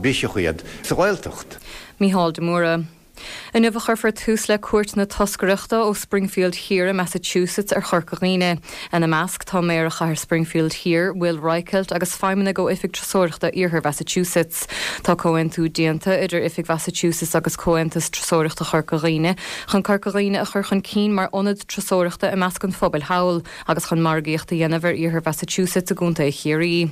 briseadh iad sa Ghaeltacht. Mícheál de Mórdha. Inniu a chuirfear tús le cuairt na toscaireachta ó Springfield Thiar i Massachusetts ar Chorca Dhuibhne. Ina measc tá Méara Chathair Springfield Thiar, Will Reichelt agus feidhmeannaigh ó Oifig Turasóireachta Iarthar Mhassachusetts. Tá comhaontú déanta idir Oifig Mhassachusetts agus Comhaontas Turasóireachta Chorca Dhuibhne chun Corca Dhuibhne a chur chun cinn mar ionad turasóireachta i measc an phobail thall agus chun margaíocht a dhéanamh ar Iarthar Mhassachusetts i gContae Chiarraí.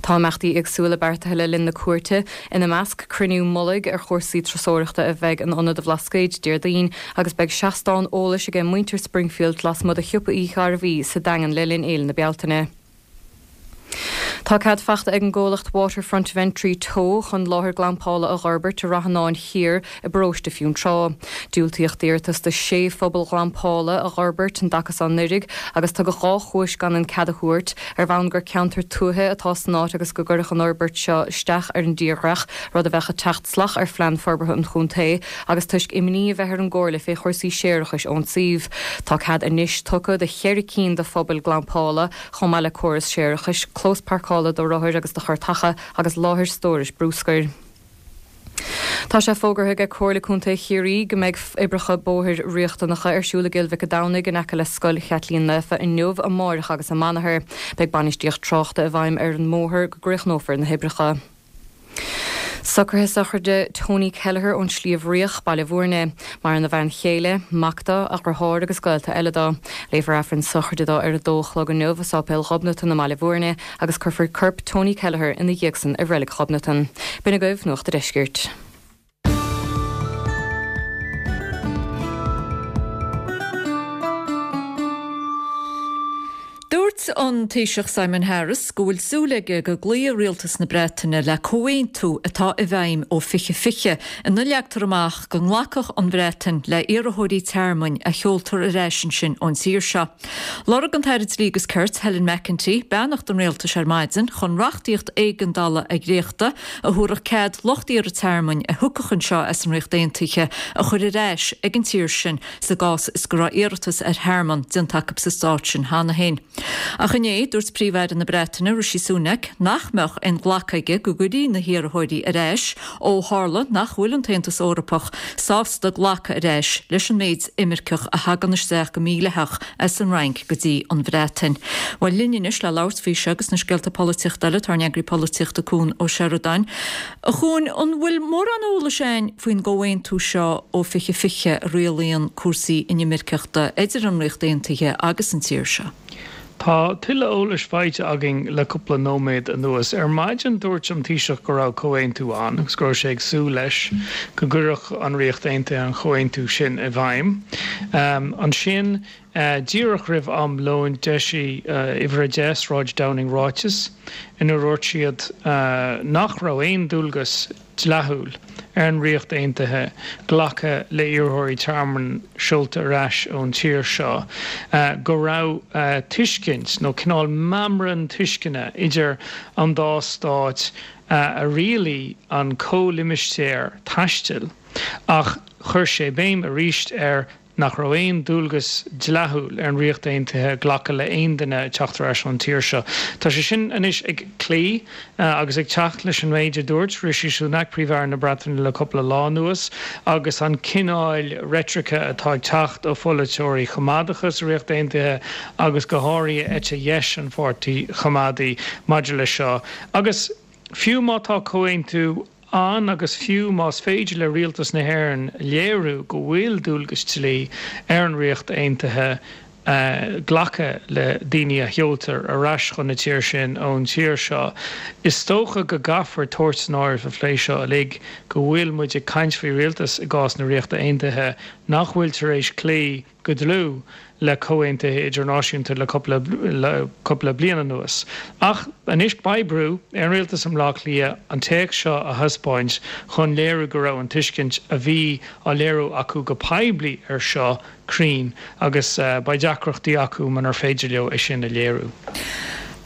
Tá imeachtaí éagsúla beartaithe le linn na cuairte, ina measc cruinniú mullaigh ar chúrsaí turasóireachta a bheidh in Ionad an Bhlascaoid Déardaoin agus beidh seastán eolais aige muintir Springfield lasmuigh de Shiopa Uí Ghairbhí sa Daingean le linn Fhéile na Bealtaine. Tá cead faighte ag an gcomhlacht Waterfront Ventry Teo chun láthair glampála a dh'fhorbairt i Rath Fhionáin Thiar i bparóiste Fionntrá. Diúltaíodh d'iarratas do sé phuball ghlampála a dh'fhorbairt an dtaca seo anuraidh agus tugadh dhá chúis gan an cead a thabhairt, ar bhonn gur ceantar tuaithe atá san áit agus go gcuirfeadh an fhorbairt seo isteach ar an dtírdhreach, rud a bheadh ag teacht salach ar phlean forbartha an chontae, agus toisc imní a bheith ar an gcomhairle fé chúrsaí séarachais ón suíomh. Tá cead anois tugtha do cheithre cinn de phubaill glampála, chomh maith le córas séarachais, clós páirceála do rothair agus do chairteacha agus láthair stórais brúscair. Tá sé fógartha ag Comhairle Contae Chiarraí go mbeidh oibreacha bóthair riachtanacha ar siúl i gCill Mhic an Domhnaigh in aice le Scoil Chaitlín Naofa inniu, amárach agus amanathar. Beidh bainistíocht tráchta i bhfeidhm ar an mbóthar go gcríochnófar na hoibreacha. Socruithe sochraide Tony Kelleher ón Sliabh Riach, Baile Bhúirne. Maireann a bhean chéile, mac dó, a dheartháir agus gaolta eile dó. Léifear Aifreann sochraide dó ar a dó a chlog inniu i Sáipéal Ghobnatan i mBaile Bhúirne agus cuirfear corp Tony Kelleher ina dhiaidh san i Reilig Ghobnatan. B'in agaibh Nuacht a' Deiscirt. Dúirt an Taoiseach Simon Harris go bhfuil súil aige go gcloífidh rialtas na Breataine le comhaontú atá i bhfeidhm ó fiche fiche ina leagtar amach go nglacfadh an Bhreatain le hiarrthóirí tearmainn a sheoltar ar ais ansin ón tír seo. Lorg an tAire Dlí agus Cirt Helen McEntee beannacht an rialtais ar maidin chun reachtaíocht éigeandála a dhréachtadh a thabharfadh cead lucht iarrtha tearmainn a thiocfadh anseo as an Ríocht Aontaithe a chur ar ais ag an tír sin sa gcás is go raibh iarratas ar thearmann déanta acu sa stát sin cheana féin. Ach inné, dúirt Príomh-Aire na Breataine, Rishi Sunak, nach mbeadh aon ghlacadh aige go gcuirfí na hiarrthóirí ar ais ó tharla nach bhfuil an tAontas Eorpach sásta glacadh ar ais leis an méid imirceach a thagann isteach go mídhleathach as an Fhrainc go dtí an Bhreatain. Bhuel, linn anois le labhairt faoi seo agus na scéalta polaitíochta eile, tá ár n-eagraí polaitíochta Cuan Ó Seireadáin. A Chuain, an bhfuil mórán eolais againn faoin gcomhaontú seo ó fiche fiche a rialaíonn cúrsaí inimirceachta idir an Ríocht Aontaithe agus an tír seo? Tá tuilleadh eolais faighte againn le cúpla nóiméad anuas. Ar maidin dúirt an Taoiseach go raibh comhaontú ann agus go raibh sé ag súil leis go gcuirfeadh an Ríocht Aontaithe an comhaontú sin i bhfeidhm. Ansin, díreach roimh am lóin, d'eisigh Uimhir a deich, Sráid Downing ráiteas inar dhúirt siad nach raibh aon dualgas dleathúil ar an Ríocht Aontaithe glacadh le iarrthóirí tearmainn seolta ar ais ón tír seo, go raibh tuiscint, nó cineál meamram tuisceana idir an dá stát a rialaigh an comhlimistéar taistil, ach chuir sé béim arís ar nach raibh aon dualgas dleathúil ar an Ríocht Aontaithe glacadh le haon duine ag teacht ar ais ón tír seo. Tá sé sin anois ag cloí agus ag teacht leis an méid a dúirt Rishi Sunak, Príomh-Aire na Breataine le cúpla lá anuas agus an cineál reitrice atá ag teacht ó pholaiteoirí choimeádacha sa Ríocht Aontaithe agus go háirithe eite dheis an Pháirtí Choimeádaigh maidir leis seo. Agus fiú má tá comhaontú ann agus fiú más féidir le Rialtas na hÉireann léiriú go bhfuil dualgas dlí ar an Ríocht Aontaithe glacadh le daoine a sheoltar ar ais chun na tíre sin ón tír seo. Is dócha go gcaithfear tabhairt san áireamh sa phlé seo uilig go bhfuil muid ag caint faoi rialtas i gcás na Ríochta Aontaithe nach bhfuil tar éis cloí go dlúth le comhaontuithe idirnáisiúnta le cúpla le cúpla bliain anuas. Ach anois beidh brú ar an rialtas i mBleá Cliath an téacs seo a thaispeáint chun léiriú go raibh an tuiscint a bhí á léiriú acu go poiblí ar seo cruinn agus beidh deacrachtaí acu munar féidir leo é sin a léiriú.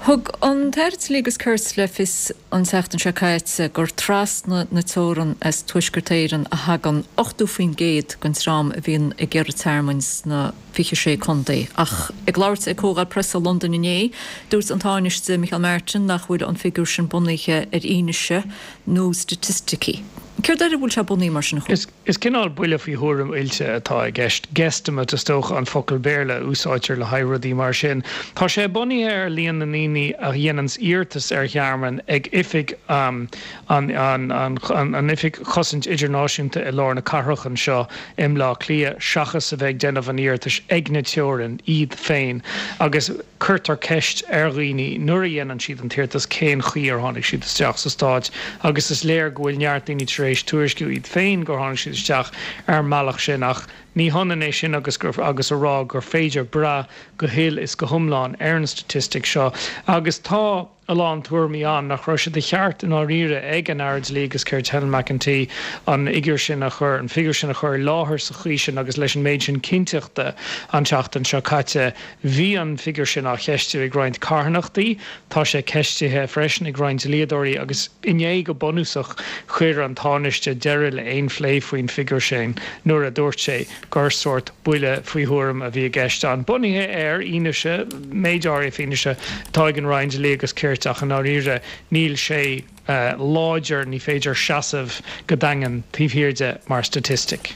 Thug an tAire Dlí agus Cirt le fios an tseachtain seo caite gur trasna na teorann as Tuaisceart Éireann a thagann ochtó faoin gcéad den dream a bhíonn ag iarraidh tearmainn sna fiche sé contae. Ach ag labhairt ag comhdháil preasa i Londain inné, dúirt an Tánaiste Micheál Martin nach bhfuil an figiúr sin bunaithe ar fhianaise nó staitisticí. Céard air a bhfuil sé bunaithe mar sin a Chú? Is cineál buille faoi thuairim oilte atá i gceist. Guesstimate is dócha an focal Béarla a úsáidtear le haghaidh rudaí mar sin. Tá sé bunaithe ar líon na ndaoine a dhéananns iarratas ar thearmann ag oifig an an Oifig Chosaint Idirnáisiúnta i lár na cathrach anseo i mBleá Cliath seachas a bheith ag déanamh an iarratais ag na teorainn iad féin agus cuirtear ceist ar dhaoine nuair a dhéanann siad an t-iarratas cén chaoi ar tháinig siad isteach sa Stát agus is léir go bhfuil neart daoine tar éis tuairisciú iad féin gur tháinig siad isteach ar an mbealach sin ach ní hionann é sin agus gur agus a rá gur féidir brath go huile is go hiomlán ar an staitistic seo agus tá a lán tuairimí ann nach raibh sé de cheart i ndáiríre ag an Aire Dlí agus Cirt Helen McEntee an fhigiúr sin a chur an figiúr sin a chur i láthair sa chaoi sin agus leis an méid sin cinnteachta an tseachtain seo caite. Bhí an figiúr sin á cheistiú ag roinnt carthanachtaí, tá sé ceistithe freisin ag roinnt dlíodóirí agus inné go bunúsach chuir an Tánaiste deireadh le aon phlé faoin bhfigiúr sin nuair a dúirt sé gur sórt buille faoi thuairim a bhí i gceist ann. Bunaithe ar fhianaise, méid áirithe fianaise atá ag an Roinn Dlí agus Cirt ach i ndáiríre níl sé láidir, ní féidir seasamh go daingean taobh thiar de mar staitistic.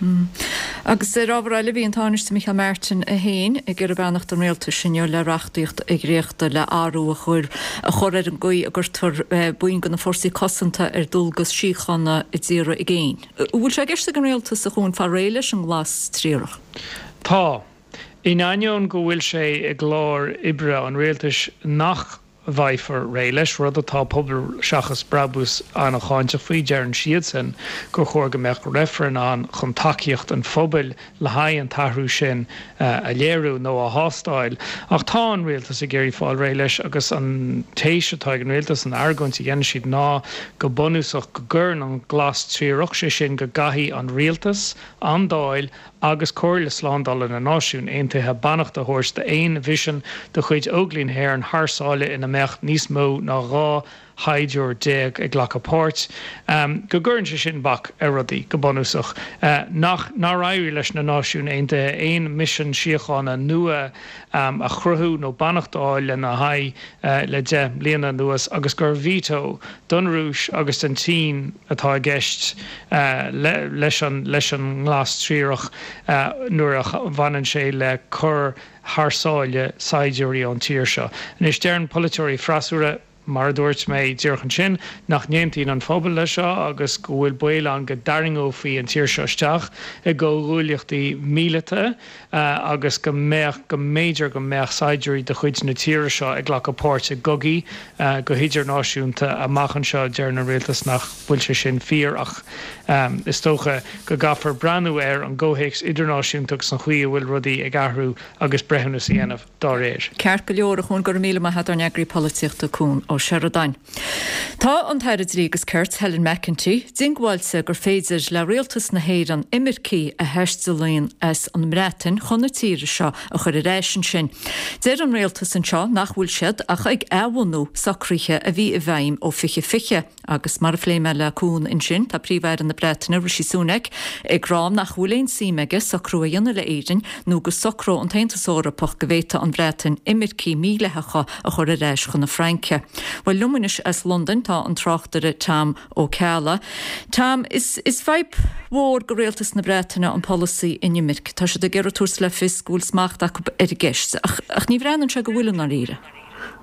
Agus ar ábhar eile, bhí an Tánaiste Micheál Martin é féin ag iarraidh beannacht an rialtais inniu le reachtaíocht a dhréachtadh le athrú a chur a chur ar an gcaoi a gcuirtear baill de na fórsaí cosanta ar dualgas síochána i dtíortha i gcéin. An bhfuil sé i gceist ag an rialtas a Chuain fáil réidh leis an nglas triarach? Tá. In ainneoin go bhfuil sé i gclár oibre an rialtais nach bhfaighfear réidh leis, rud atá Pobal Seachas Brabús an-cháinteach faoi, deireann siadsan gur chóir go mbeadh reifreann ann chun tacaíocht an phobail le haghaidh an t-athrú sin a léiriú nó a thástáil. Ach tá an rialtas ag iarraidh fáil réidh leis agus an téis atá ag an rialtas, an argóint a dhéanann siad ná go bunúsach go gcuireann an glas triarach, sé sin go gcaithfidh an rialtas, an Dáil agus Comhairle Slándála na Náisiún Aontaithe beannacht a thabhairt d'aon mhisean de chuid Óglaigh na hÉireann thar sáile ina mbeadh níos mó ná dhá shaighdiúir déag ag glacadh páirt, go gcuireann sé sin bac ar rudaí, go bunúsach. Nach, nár éirigh leis na Náisiúin Aontaithe aon mhisean síochána nua a chruthú nó beannacht a fháil lena haghaidh le deich mbliana anuas agus gur veto don Rúis agus don tSín atá i gceist leis an leis an nglas triarach nuair a bhaineann sé le cur thar sáile saighdiúirí ón tír seo. Anois deireann polaiteoirí freasúra, mar a dúirt mé díreach ansin, nach n-aontaíonn an pobal leis seo agus go bhfuil baol ann go dtarraingeofaí an tír seo isteach i gcomhghuaillíochtaí míleata agus go mbeadh, go mb'fhéidir go mbeadh saighdiúirí de chuid na tíre seo ag glacadh páirt i gcogaí go hidirnáisiúnta amach anseo. Deireann an rialtas nach bhfuil sé sin fíor ach is dócha go gcaithfear breathnú ar an gcomhthéacs idirnáisiúnta agus an chaoi a bhfuil rudaí ag athrú agus breithiúnas a dhéanamh. dá réir. Ceart go leor, a Chuain, go raibh míle maith agat, ár n-eagraí polaitíochta Cuan Ó Seireadáin. Tá an tAire Dlí agus Cirt, Helen McEntee, diongbháilte gur féidir le rialtas na hÉireann imircigh a thaistealaíonn as an mBreatain chun na tíre seo a chur ar ais ansin. Deir an rialtas anseo nach bhfuil siad ach ag athbhunú socruithe a bhí i bhfeidhm ó fiche fiche. Agus mar a phléigh mé le Cuan ansin, tá Príomh-Aire na Breataine, Rishi Sunak, ag rá nach bhfuil aon suim aige socrú a dhéanamh le Éirinn nó go socródh an tAontas Eorpach go bhféadfadh an Bhreatain imircigh mídhleathacha a chur ar ais chun na Fraince. Bhuel, liom anois as Londain tá an tráchtaire Tom Ó Ceallaigh. Tom, is is fadhb mhór do rialtas na Breataine an polasaí inimirce. Tá siad ag iarraidh tabhairt le fios go bhfuil smacht acu ar an gceist, ach ach ní bhreathnaíonn sé go bhfuil i ndáiríre.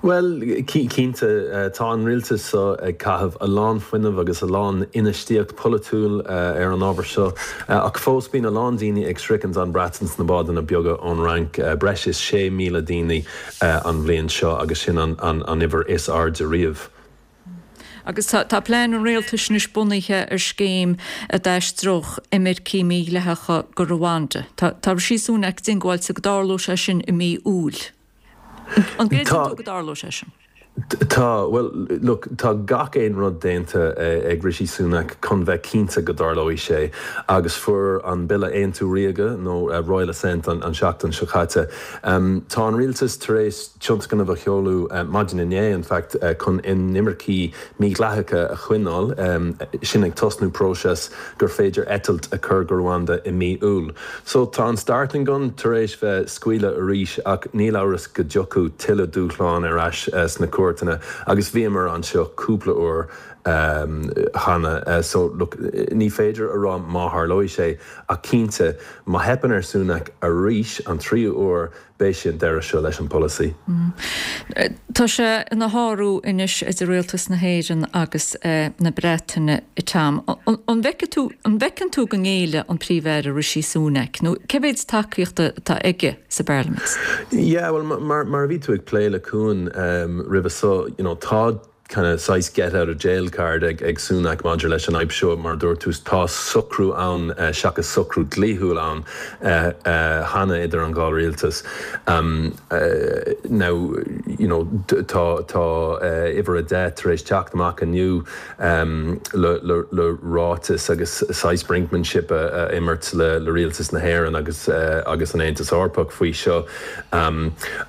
Bhuel, cinnte, tá an rialtas seo ag caitheamh a lán fuinnimh agus a lán infheistíocht polaitiúil ar an ábhar seo, ach fós bíonn a lán daoine ag sroichint an Bhreatain sna bádanna beaga ón Fhrainc, breis is sé míle daoine an bhliain seo agus sin an uimhir is airde riamh. Agus tá plean an rialtais anois bunaithe ar scéim a d'aistreodh imircigh mhídhleathacha go Rwanda. Tá Rishi Sunak diongbháilte go dtarlódh sé sin i mí Iúil. An gcreideann tú go dtarlóidh sé sin? Tá, bhuel, look, tá gach aon rud déanta ag Rishi Sunak chun bheith cinnte go dtarlóidh sé agus fuair an bille Aontú Ríoga nó Royal Assent an seachtain seo caite. Tá an rialtas tar éis tionscnamh a sheoladh maidin inné, in fact, chun inimircigh mídhleathacha a choinneáil, sin ag tosnú próiseas gur féidir eitilt a chur go Rwanda i mí Iúil. So tá an starting gun tar éis bheith scaoileadh arís ach níl amhras go dtiocfaidh tuilleadh dúshlán ar ais sna cúirteanna agus bhíomar anseo cúpla uair cheana. So look, ní féidir a rá má tharlóidh sé ach cinnte má theipeann ar Sunak arís an tríú uair beidh sé an deireadh seo leis an polasaí. Tá sé ina shárú anois idir rialtas na hÉireann agus na Breataine, Tom. An bhfeiceann tú an bhfeiceann tú go ngéillfidh an Príomh-Aire Rishi Sunak nó cé mhéad tacaíochta atá aige sa bParlaimint? Yeah, well mar mar a bhí tú ag plé le Cuan roimhe seo, you know, tá kind of saghas get out of jail card ag ag Sunak maidir leis an fhadhb seo mar dúirt tú tá socrú ann seachas socrú dlíthiúil ann cheana idir an dhá rialtas. Now you know tá tá uimhir a deich tar éis teacht amach inniu le le le ráiteas agus saghas brinkmanship a imirt le le rialtas na hÉireann agus agus an Aontas Eorpach faoi seo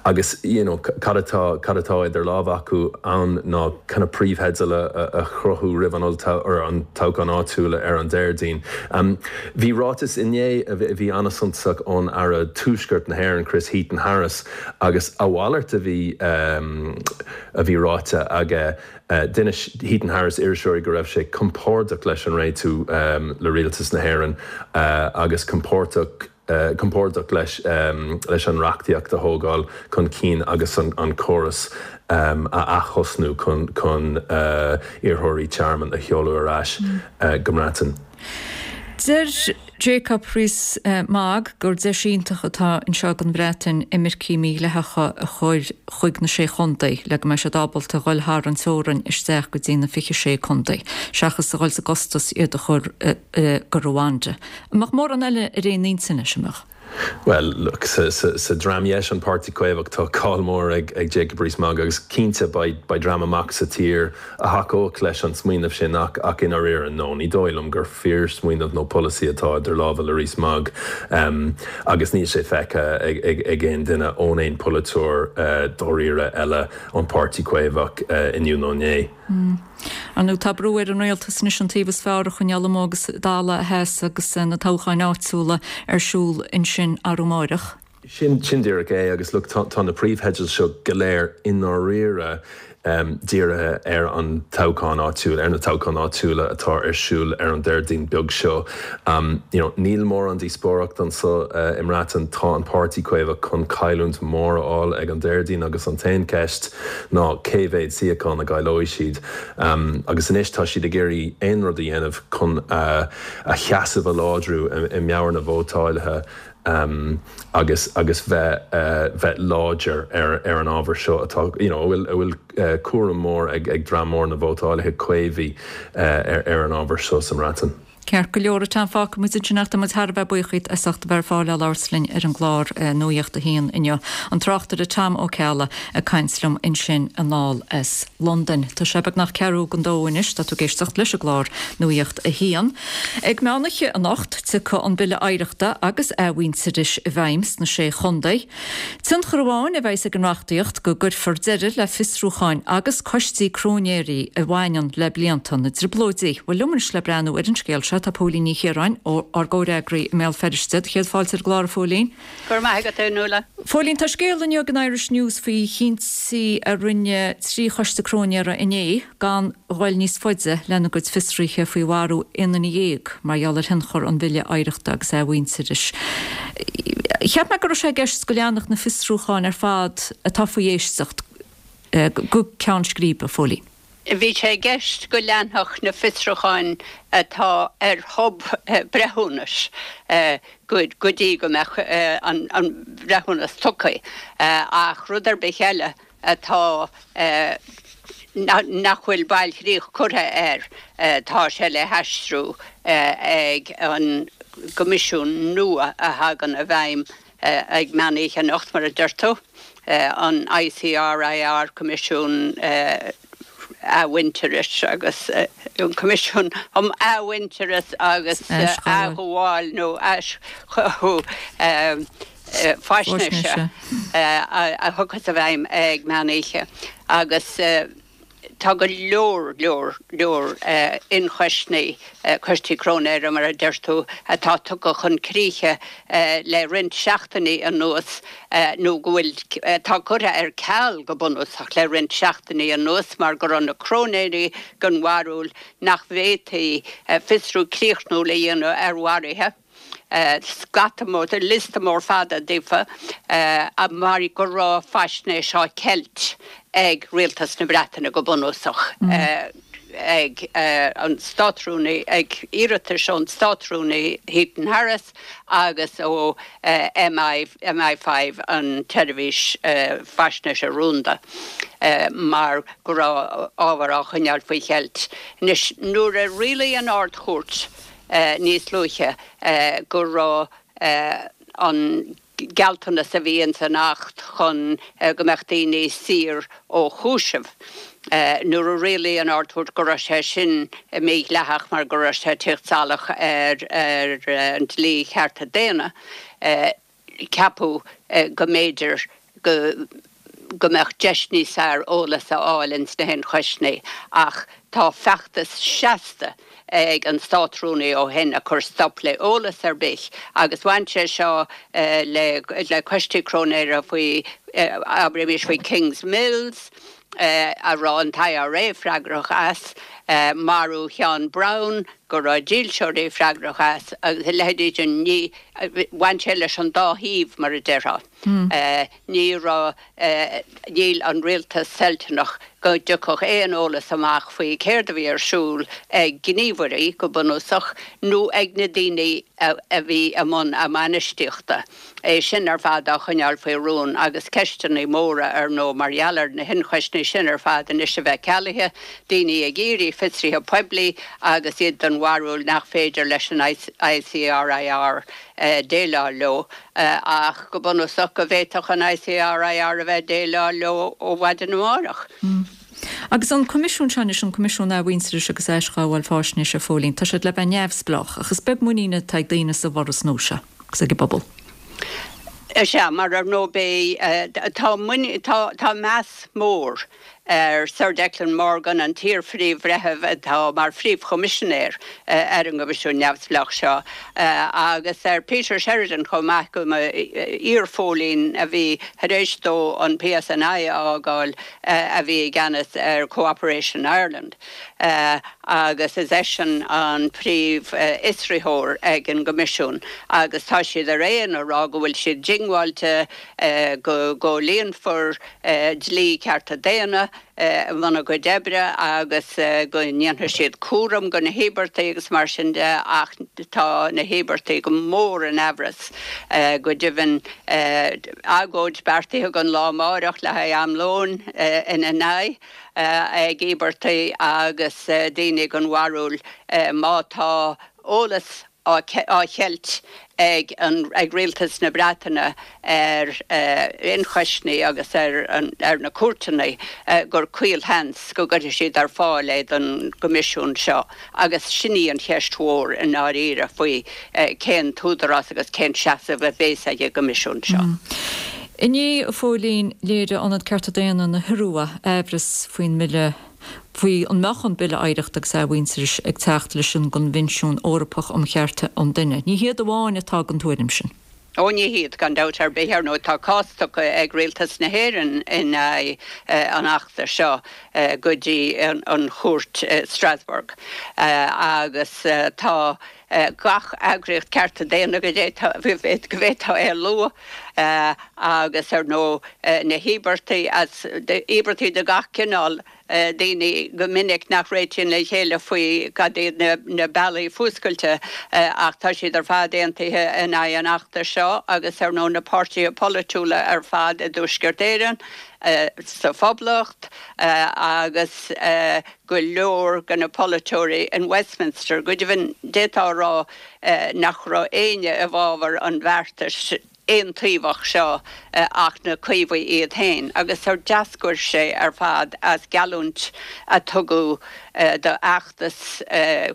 agus you know cad atá cad atá idir lámha acu ann ná kind of príomhtheideal a chruthú roimh an or an toghchán áitiúil ar an Déardaoin. Bhí ráiteas inné a bhí an-suntasach ón Aire Tuaisceart na hÉireann Chris Heaton-Harris agus a mhalairt a bhí a bhí ráite aige. D'inis Heaton-Harris iriseoirí go raibh sé compordach leis an réitiú le rialtas na hÉireann agus compordach compordach leis leis an reachtaíocht a thógáil chun cinn agus an an córas a athosnú chun chun iarrthóirí tearmainn a sheoladh ar ais go mBreatain. Deir Jacob Rees-Mogg gur deis iontach atá anseo don Bhreatain imircigh mhídhleathacha a chur chuig na sé chontae le go mbeidh siad ábalta dhul thar an teorainn isteach go dtí na fiche sé contae, seachas a dhul sa gcostas iad a chur go Rwanda. An mbeadh mórán eile ar aon intinn leis, an mbeadh? Bhuel, look, sa, sa, sa dream dheis an Páirtí Caomhach tá cáil mór ag, ag Jacob Rees-Mogg agus cinnte beidh, beidh dream amach sa tír a thacódh leis an smaoineamh sin ach, ach i ndáiríre, no, ní dóigh liom gur fíorsmaoineamh nó polasaí atá idir lámha le Rees-Mogg um, agus níl sé feicthe ag, ag, ag aon duine ón aon polaiteoir uh, dáiríre eile ón Páirtí Caomhach uh, inniu nó inné. Mm. Ar ndóigh tá brú ar an rialtas anois an taobh is fearr a choinneáil amuigh agus Dála Theas agus na toghcháin áitiúla ar siúl ansin arú amárach. Sin sin díreach é agus look tá, tá na príomhtheidil seo go léir i ndáiríre um, dírithe ar an toghchán áitiúil ar na toghcháin áitiúla atá ar siúl ar an Déardaoin beag seo. Um, you know, níl mórán díospóireacht anseo uh, i mBreatain tá an Páirtí Caomhach chun cailliúint mór a fháil ag an Déardaoin agus an t-aon ceist ná cé mhéad suíochán a gcaillfidh siad. Um, agus anois tá siad ag iarraidh aon rud a dhéanamh chun uh, a sheasamh a láidriú i, i meabhair na vótálaithe um, agus agus bheith uh, bheith láidir ar, ar an ábhar seo atá you know, bhfuil bhfuil uh, cúram mór ag, ag dream mór na vótálaithe caomhaigh uh, ar, ar an ábhar seo sa mBreatain. Ceart go leor atá fágtha muid ansin ach tá muid thar a bheith buíoch díot as ucht a bheith ar fáil le labhairt linn ar an gclár Nuacht a haon inniu. An tráchtaire Tom Ó Ceallaigh ag caint liom ansin anall as Londain. Tá sé beagnach ceathrú don dó anois tá tú ag éisteacht leis an gclár Nuacht a haon. Ag meánoíche anocht tiocfaidh an Bille Oidhreachta agus Athmhuintearais i bhfeidhm sna sé chontae. Tionchar amháin a bheas ag an reachtaíocht go gcuirfear deireadh le fiosrúcháin agus coistí cróinéirí a bhaineann le blianta na dTrioblóidí. Bhuel liom anois le breathnú ar an scéal seo tá Póilín Ní Chiaráin ó ár gcomhfhreagraí i mBéal Feirste, céad fáilte ar an gclár a Phóilín. Go raibh maith agat Nuala. Phóilín tá scéal inniu in Irish News faoi chinntí a rinne trí choiste cróinéara inné gan dhul níos faide lena gcuid fiosruithe faoi mharú aon duine dhéag mar gheall ar thionchar an Bhille Oidhreachta agus Athmhuintearais. Cheap mé go raibh sé i gceist go leanfadh na fiosrúcháin ar fad atá faoi éisteacht go ceann scríbe, a Phóilín. Bhí sé i gceist go leanfadh na fiosrúcháin atá ar thob breithiúnais go dtí go mbeadh an breithiúnas tugtha, ach rud ar bith eile atá nach bhfuil bailchríoch curtha air, tá sé le haistriú ag an gCoimisiún nua a thagann i bhfeidhm ag meán oíche anocht, mar a deir tú, an I C R I R, Coimisiún Athmhuintearais agus an Coimisiún um Athmhuintearas agus Athghabháil nó Aischothú Faisnéise a thiocfas i bhfeidhm ag meán oíche agus tá go leor leor leor ionchoisní, coistí cróinéara mar a deir tú, atá tugtha chun críche le roinnt seachtainí anuas nó go bhfuil atá curtha ar ceal go bunúsach le roinnt seachtainí anuas mar go raibh na cróinéirí den bharúil nach bhféadfaí fiosrú críochnúil a dhéanamh ar mharuithe. Scata mór, liosta mór fada daofa, mar go raibh faisnéis á ceilt ag Rialtas na Breataine go bunúsach, ag an Státrúnaí, ag iarratais ón Státrúnaí Heaton Harris agus ó M I, M I five, an tseirbhís faisnéise rúnda, mar go raibh ábhar á choinneáil faoi cheilt. Anois, nuair a rialaigh an Ard-Chúirt níos luaithe go raibh an gealltanas a bhí ins an Acht chun go mbeadh daoine saor ó chúiseamh, nuair a rialaigh an Ard-Chúirt go raibh sé sin mídhleathach mar go raibh sé ag teacht salach ar an dlí chearta daonna, ceapadh go mb'fhéidir go go mbeadh deis níos fearr eolas a fháil ins na hionchoisní, ach tá feachtas seasta ag an Státrúnaí ó shin a chur stop le eolas ar bith agus bhain sé seo le le coistí cróinéara faoi, abraimis faoi Kingsmills, a raibh an I R A freagrach as, marú Sheán Brown go raibh dílseoirí freagrach as agus a leithéidí sin. Ní bhain sé leis an dá thaobh mar a déarfá. Ní raibh níl an rialtas toilteanach go dtiocfadh aon eolas amach faoi céard a bhí ar siúl ag gníomhairí go bunúsach nó ag na daoine a bhí i mbun a mbainistíochta. É sin ar fad á choinneáil faoi rún agus ceisteanna móra ar ndóigh mar gheall ar na hionchoisní sin ar fad anois a bheith cealaithe, daoine ag iarraidh fiosruithe poiblí agus iad den bharúil nach féidir leis an I C R I R déileáil leo, ach go bunúsach go bhféadfadh an I C R I R a bheith ag déileáil leo ó mhaidin amárach. Agus an Coimisiún seo anois, an Coimisiún Athmhuintearais agus Aisghabháil Faisnéise, a Phóilín, tá siad le bheith neamhspleách, ach is beag muinín atá ag daoine sa bhforas nua seo agus ag an bpobal. Is ea, mar ar ndóigh tá tá meas mór ar Sir Declan Morgan, an t-iar-phríomh-bhreitheamh atá mar phríomhchoimisinéir ar an gCoimisiún neamhspleách seo, agus ar Peter Sheridan chomh maith, go iar-phóilín a bhí tar éis dó an P S N I a fhágáil, a bhí i gceannas ar Cooperation Ireland. Agus is eisean an príomhfhiosraitheoir ag an gCoimisiún agus tá siad ar aon a rá go bhfuil siad diongbháilte go gcomhlíonfar dlí cearta daonna i mbun a gcuid oibre agus go ndéanfaidh siad cúram go na híobartaigh agus mar sin de, ach tá na híobartaigh go mór in amhras. Go deimhin, agóid beartaithe don lá amárach le haghaidh am lóin ina n-aghaidh ag íobartaigh agus daoine den bharúil má tá eolas á cheilt ag an ag rialtas na Breataine ar ionchoisní agus ar ar na cúirteanna gur caolsheans go gcuirfidh siad ar fáil é don gCoimisiún seo, agus sin í an cheist mhór i ndáiríre faoi cén t-údarás agus cén seasamh a bheas ag an gCoimisiún seo. Inné, a Phóilín, léirigh Ionad Cearta Daonna na hIorua aimhreas faoin mbille, faoi an mbeadh an Bille Oidhreachta agus Athmhuintearais ag teacht leis an gCoinbhinsiún Eorpach um Chearta an Duine. Ní hiad amháin atá den tuairim sin. Ó, ní hiad gan dabht ar bith. Ar ndóigh tá cás tugtha ag Rialtas na hÉireann in aghaidh an achta seo go dtí an chúirt Strasbourg agus tá gach eagraíocht cearta daonna go bhféadfá é a lua agus ar ndóigh na híobartaigh as íobartaigh de gach cineál, daoine go minic nach réitíonn le chéile faoi cad iad na bealaí fuascailte ach tá siad ar fad aontaithe in aghaidh an fheachtais seo agus ar ndóigh na páirtithe polaitiúla ar fad i dTuaisceart Éireann, sa Phoblacht agus go leor de na polaiteoirí in Westminster. Go deimhin, d'fhéadfá a rá nach raibh éinne i bhfabhar an bheartais aontaobhach seo ach na Caomhaigh iad féin, agus ar d'eascair sé ar fad as geallúint a tugadh do fheachtas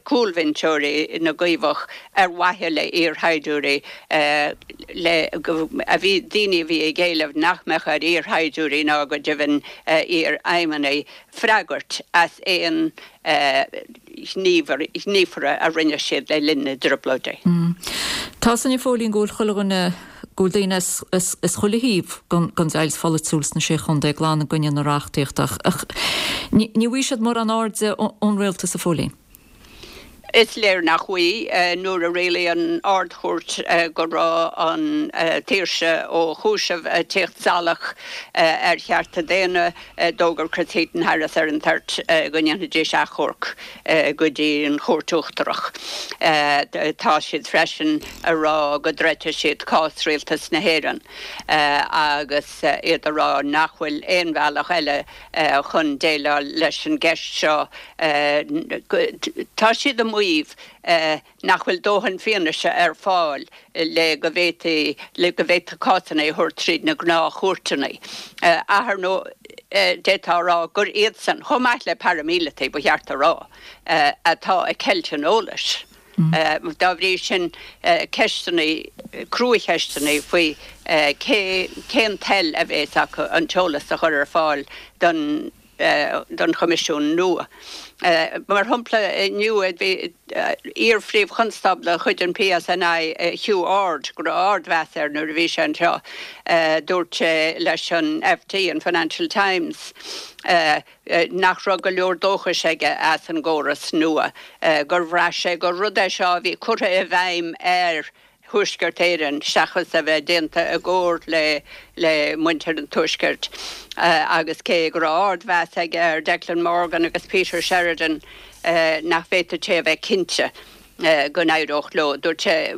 cúlbhinseoirí na gCaomhach ar mhaithe le iarshaighdiúirí le a bhí daoine a bhí ag éileamh nach mbeadh ar iarshaighdiúirí ná go deimhin iarfheidhmeannaigh freagairt as aon ghníomhartha a rinne siad le linn na dTrioblóidí. Tá 's againn, a Phóilín, go bhfuil chuile dhuine, go bhfuil daoine as as chuile thaobh den deighilt pholaitiúil sna Sé Chontae glan i gcoinne na reachtaíochta ach ní bhfaighidh siad mórán airde ón rialtas, a Phóilín. Is léir nach bhfaighidh. Nuair a rialaigh an Ard-Chúirt go raibh an tsaoirse ó chúiseamh ag tíocht salach ar chearta daonna, d'fhógair Chris Heaton-Harris ar an toirt go ndéanfaidís achomharc go dtí an Chúirt Uachtarach. Tá siad freisin a rá go dtroidfidh siad cás Rialtas na hÉireann agus iad a rá nach bhfuil aon bhealach eile chun déileáil leis an gceist seo. Tá siad ag maíomh nach bhfuil dóthain fianaise ar fáil le go bhféadfaí le go bhféadfaí cásanna a thabhairt tríd na gnáthchúirteanna. Ach ar ndóigh, d'fhéadfá a rá gur iadsan, chomh maith le paraimíleataigh, ba cheart a rá, atá ag ceilt an eolais. Dá bhrí sin, ceisteanna, cruacheisteanna faoi cé, cén toil a bhéas acu an t-eolas a chur ar fáil don don Choimisiún nua. Mar shampla, inniu bhí iar-phríomh-chonstábla de chuid an PSNI, Hugh Orde, go raibh ardmheas air nuair a bhí sé anseo, dúirt sé leis an FT, an Financial Times, nach raibh go leor dóchais aige as an gcóras nua, gur bhraith sé gur rud é seo a bhí curtha i bhfeidhm ar Thuaisceart Éireann seachas a bheith déanta i gcomhar le le muintir an Tuaiscirt agus cé go raibh ardmheas aige ar Declan Morgan agus Peter Sheridan nach bhféadfadh sé a bheith cinnte go n-éireodh leo. Dúirt sé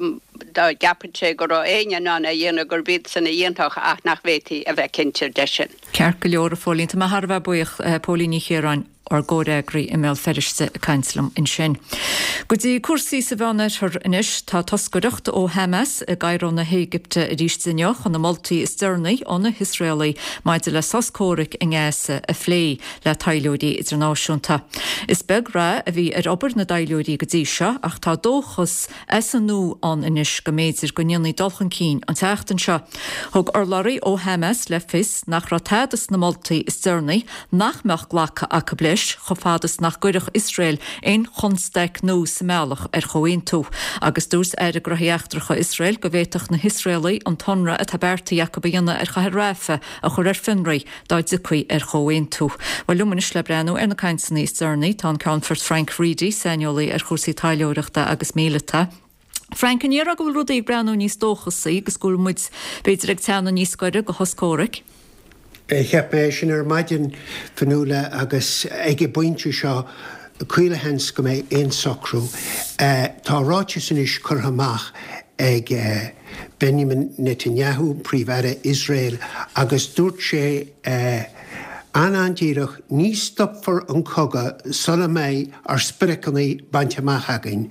dá gceapfadh sé go raibh éinne in ann é a dhéanamh gurb iadsan a dhéanfadh ach nach bhféadfaí a bheith cinnte de sin. Ceart go leor, a Phóilín. Tá mé thar a bheith buíoch, Póilín Ní Chiaráin. ár gcomhfhreagraí i mBéal Feirste ag caint liom ansin. Go dtí cúrsaí sa Mheánoirthear anois, tá toscaireacht ó Hamas i gCairo na hÉigipte arís inniu chun na moltaí is deireanaí ó na hIosraelaigh maidir le sos comhraic i nGaza a phlé le taidhleoirí idirnáisiúnta. Is beag rath a bhí ar obair na dtaidhleoirí go dtí seo ach tá dóchas as an nua ann anois go mb'fhéidir go ndéanfaí dul chun cinn an tseachtain seo. Thug urlabhraí ó Hamas le fios nach raibh tada sna moltaí is deireanaí nach mbeadh glactha acu leis chomh fada is nach gcuirfeadh Iosrael aon chonstaic nua sa mbealach ar chomhaontú. Agus dúirt Aire Gnóthaí Eachtracha Iosrael go bhféadfadh na hIosraelaigh an t-ionradh atá beartaithe acu a dhéanamh ar chathair Rafah a chur ar fionraí dá dtiocfaí ar chomhaontú. Bhuel, liom anois le breathnú ar na cainteanna is deireanaí tá an Ceannfort Frank Reidy, saineolaí ar chúrsaí taidhleoireachta agus míleata. Frank, an ndéarfá go bhfuil rudaí ag breathnú níos dóchasaí agus go bhfuil muid, b'fhéidir, ag teannadh níos gaire do shos comhraic? Cheap mé sin ar maidin, Fionnuala, agus ag an bpointe seo, caolsheans go mbeidh aon socrú. Tá ráiteas anois curtha amach ag Benjamin Netanyahu, Príomh-Aire Iosrael, agus dúirt sé an-an-díreach, ní stopfar an cogadh sula mbeidh ár spriocanna bainte amach againn.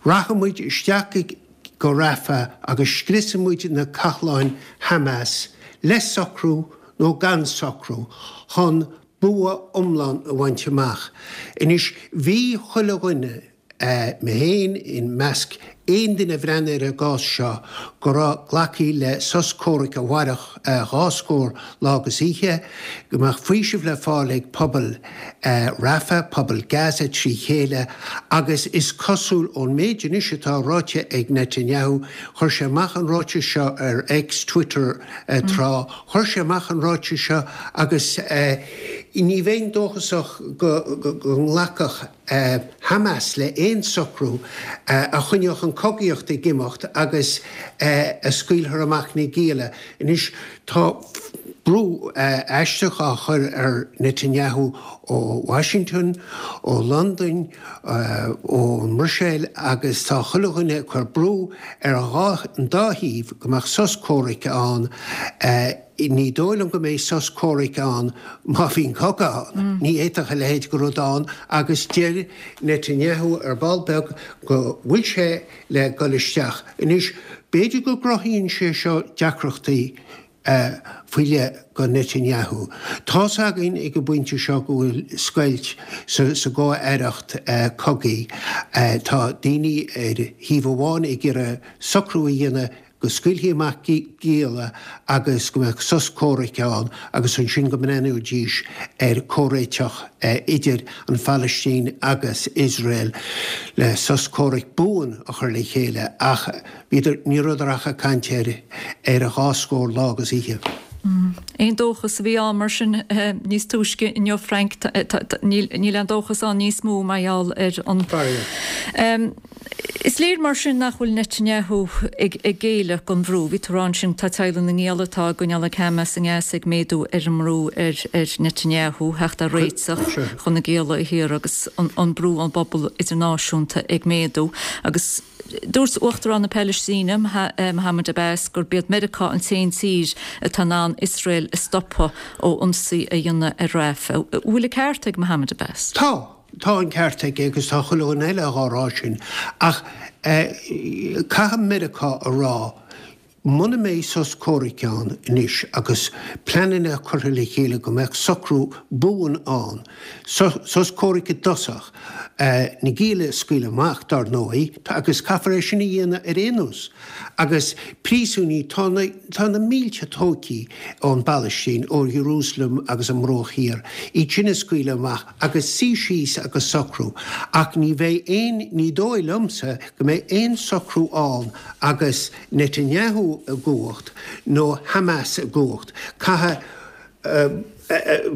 Rachaidh muid isteach go Rafah agus scriosfaidh muid na cathláin Hamas, le socrú nó gan socrú, chun bua iomlán a bhaint amach. Anois, bhí chuile dhuine, mé féin i measc, aon duine a bhreathnaigh ar an gcás seo go raibh glactha le sos comhraic a mhairfeadh dhá scór lá agus oíche, go mbeadh faoiseamh le fáil ag pobal Rafah, pobal Gaza trí chéile agus is cosúil ón méid anois atá ráite ag Netanyahu, chuir sé amach an ráiteas seo ar X, Twitter tráth, chuir sé amach an ráiteas seo agus ní bheinn dóchasach go nglacfadh Hamas le haon socrú a choinneodh an chogaíocht ag imeacht agus a scaoilfeadh amach na gialla. Anois tá brú aisteach á chur ar Netanyahu ó Washington, ó Londain, ón mBruiséil agus tá chuile dhuine ag cur brú ar an dá thaobh go mbeadh sos comhraic ann. Ní dóigh liom go mbeidh sos comhraic ann má bhíonn cogadh ann. Ní fhéadfadh a leithéid de rud ann agus deir Netanyahu ar ball beag go bhfuil sé le dul isteach. Anois, b'fhéidir go gcruthaíonn sé seo deacrachtaí faoi leith go Netanyahu. Tá's againn ag an bpointe seo go bhfuil scoilt sa gcomh-aireacht cogaidh. Tá daoine ar thaobh amháin ag iarraidh socrú a dhéanamh go scaoilfí amach gialla agus go mbeadh sos comhraic ann agus ansin go mbreathnóidís ar chomhréiteach idir an Phalaistín agus Iosrael le sos comhraic buan a chur le chéile ach bhíodar, ní rabhadar ach ag caint ar ar dhá scór lá agus oíche. Aon dóchas a bhí ann mar sin níos túisce inniu, Frank, níl aon dóchas ann níos mó mar gheall ar an. Faraor. Is léir mar sin nach bhfuil Netanyahu ag géilleadh don bhrú. Bhí tú ag rá ansin tá teaghlaigh na ngiall atá á gcoinneáil ag Hamas i nGaza ag méadú ar an mbrú ar Netanyahu theacht ar réiteach chun na gialla a shaoradh agus an brú ón bpobal idirnáisiúnta ag méadú. Agus dúirt Uachtarán na Palaistíne, Mohammed Abbas, gurb iad Meiriceá an t-aon tír atá in ann Iosrael a stopadh ó ionsaí a dhéanamh ar Rafah. Bhfuil an ceart ag Mohammed Abbas? Tá. Tá an ceart aige agus tá chuile dhuine eile dhá rá sin. Ach caithfidh Meiriceá a rá, muna mbeidh sos comhraic ann anois agus pleananna curtha le chéile go mbeadh socrú buan ann, sos comhraic i dtosach, na gialla a scaoileadh amach, dar ndóigh, agus caithfear é sin a dhéanamh ar aon nós, agus príosúnaigh, tá na, tá na mílte tógtha ón bPalaistín, ó Jerusalem agus an mBruach Thiar, iad sin a scaoileadh amach. agus suí síos agus socrú, ach ní bheidh aon, ní dóigh liomsa go mbeidh aon socrú ann agus Netanyahu i gcumhacht nó Hamas i gcumhacht. Caithfidh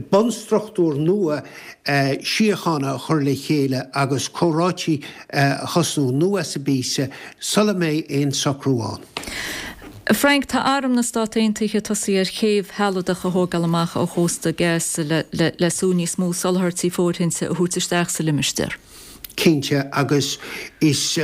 bunstruchtúr nua síochána a chur le chéile agus comhráití a thosnú anuas an píosa sula mbeidh aon socrú ann. Frank, tá Arm na Stát Aontaithe tosaithe ar chéibh shealadach a thógáil amach ó chósta Gaza le sú níos mó soláthairtí fóirithinte a thabhairt isteach sa limistéar. Cinnte, agus is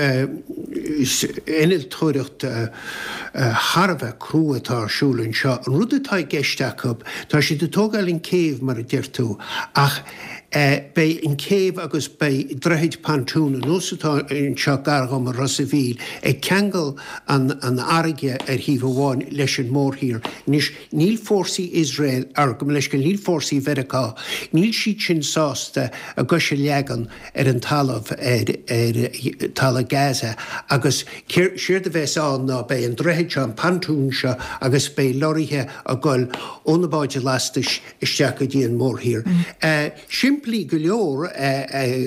innealtóireacht thar a bheith crua atá ar siúl anseo. An rud atá i gceist acu, tá siad ag tógáil an céibh mar a deir tú, ach Beidh an chéibh agus beidh droichid pontoon anuas atá anseo gar dhom i Ros a' Mhíl ag ceangal an fharraige ar thaobh amháin leis an mórthír. Anois níl fórsaí Iosrael, or gabh mo leithscéal, níl fórsaí Mheiriceá, níl siad sin sásta a gcois a leagan ar an talamh, ar talamh Gaza agus séard a bheas ann ná beidh an droichead seo, an pontoon seo agus beidh lorraithe ag dul ó na báid lastais isteach go dtí an mórthír. Simplí go leor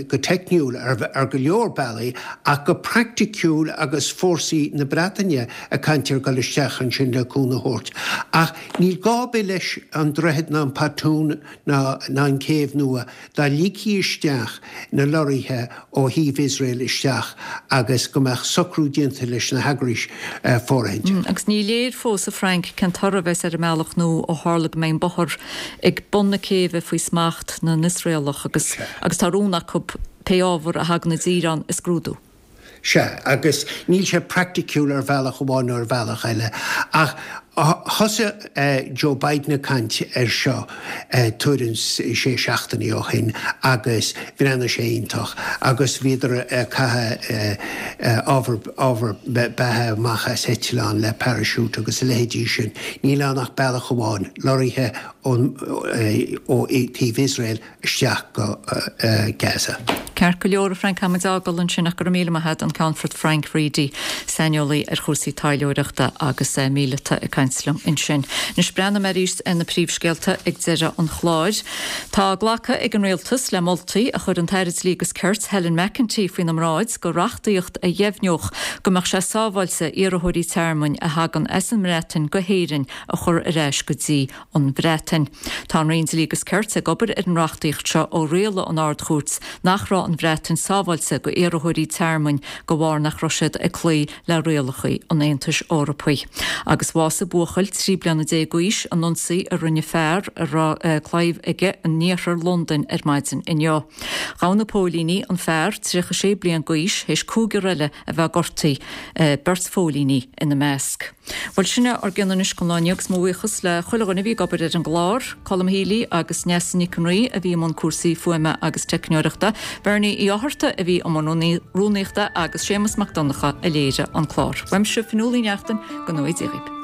go teicniúil ar go leor bealaí ach go praiticiúil agus fórsaí na Breataine ag caint ar dhul isteach ansin le cúnamh a thabhairt. Ach níl gá ar bith leis an droichead ná an pontoon ná an chéibh nua dá ligfí isteach na lorraithe ó thaobh Iosrael isteach agus go mbeadh socrú déanta leis na heagrais fóirithinte. Agus ní léir fós, a Frank, cén toradh a bheas ar an mbealach nua ó tharla go mbeidh an bóthar ag bun na céibhe faoi smacht na nIosraelach agus agus tá rún acu pé ábhar a thagann i dtír ann a scrúdú. Sea, agus níl sé praiticiúil ar bhealach amháin nó ar bhealach eile. Ach thosaigh Joe Biden ag caint air seo tuairim is sé seachtainí ó shin agus bhreathnaigh sé iontach agus bhíodar ag caitheamh ábhar ábhar beatha amach as eitleán le parachute agus a leithéidí sin. Níl ann ach bealach amháin, lorraithe ón ó taobh Iosrael isteach go Gaza. Ceart go leor a Frank táimid ag fágáil ansin ach go raibh míle maith agat an Ceannfort Frank Reidy, saineolaí ar chúrsaí taidhleoireachta agus míleata ag caint liom ansin. Anois breathnóidh mé arís ar na príomhscéalta ag deireadh an chláir. Tá glactha ag an Rialtas le moltaí a chuir an tAire Dlí agus Cirt Helen McEntee faoina mbráid do reachtaíocht a dheimhneodh go mbeadh sé sábháilte iarrthóirí tearmainn a thagann as an mBreatain go hÉirinn a chur ar ais go dtí an Bhreatain. Tá an Roinn Dlí agus Cirt ag obair ar an reachtaíocht seo ó rialaigh an Ard-Chúirt nach raibh an Bhreatain sábháilte do iarrthóirí tearmainn de bharr nach raibh siad ag cloí le rialacha an Aontais Eorpaigh. Agus bhásaigh buachaill trí bliana déag d'aois in ionsaí a rinne fear a raibh claíomh aige in iarthar Londain ar maidin inniu. Ghabh na póilíní an fear tríocha sé bliain d'aois théis cúigear eile a bheith gortaithe, beirt phóilíní ina measc. Bhuel sin é ár gcion anois don lá inniu agus mo bhuíochas le chuile dhuine a bhí ag obair ar an gclár, Colm Healy agus Neasa Nic an Rí a bhí i mbun cúrsaí fuaime agus teicneoireachta, Bernie Uí Fhátharta a bhí i mbun rúnaíochta agus Séamus Mac Donncha a léirigh an clár. Uaimse Fionnuala Ní Neachtain, go ngnóthaí Dia dhaoibh.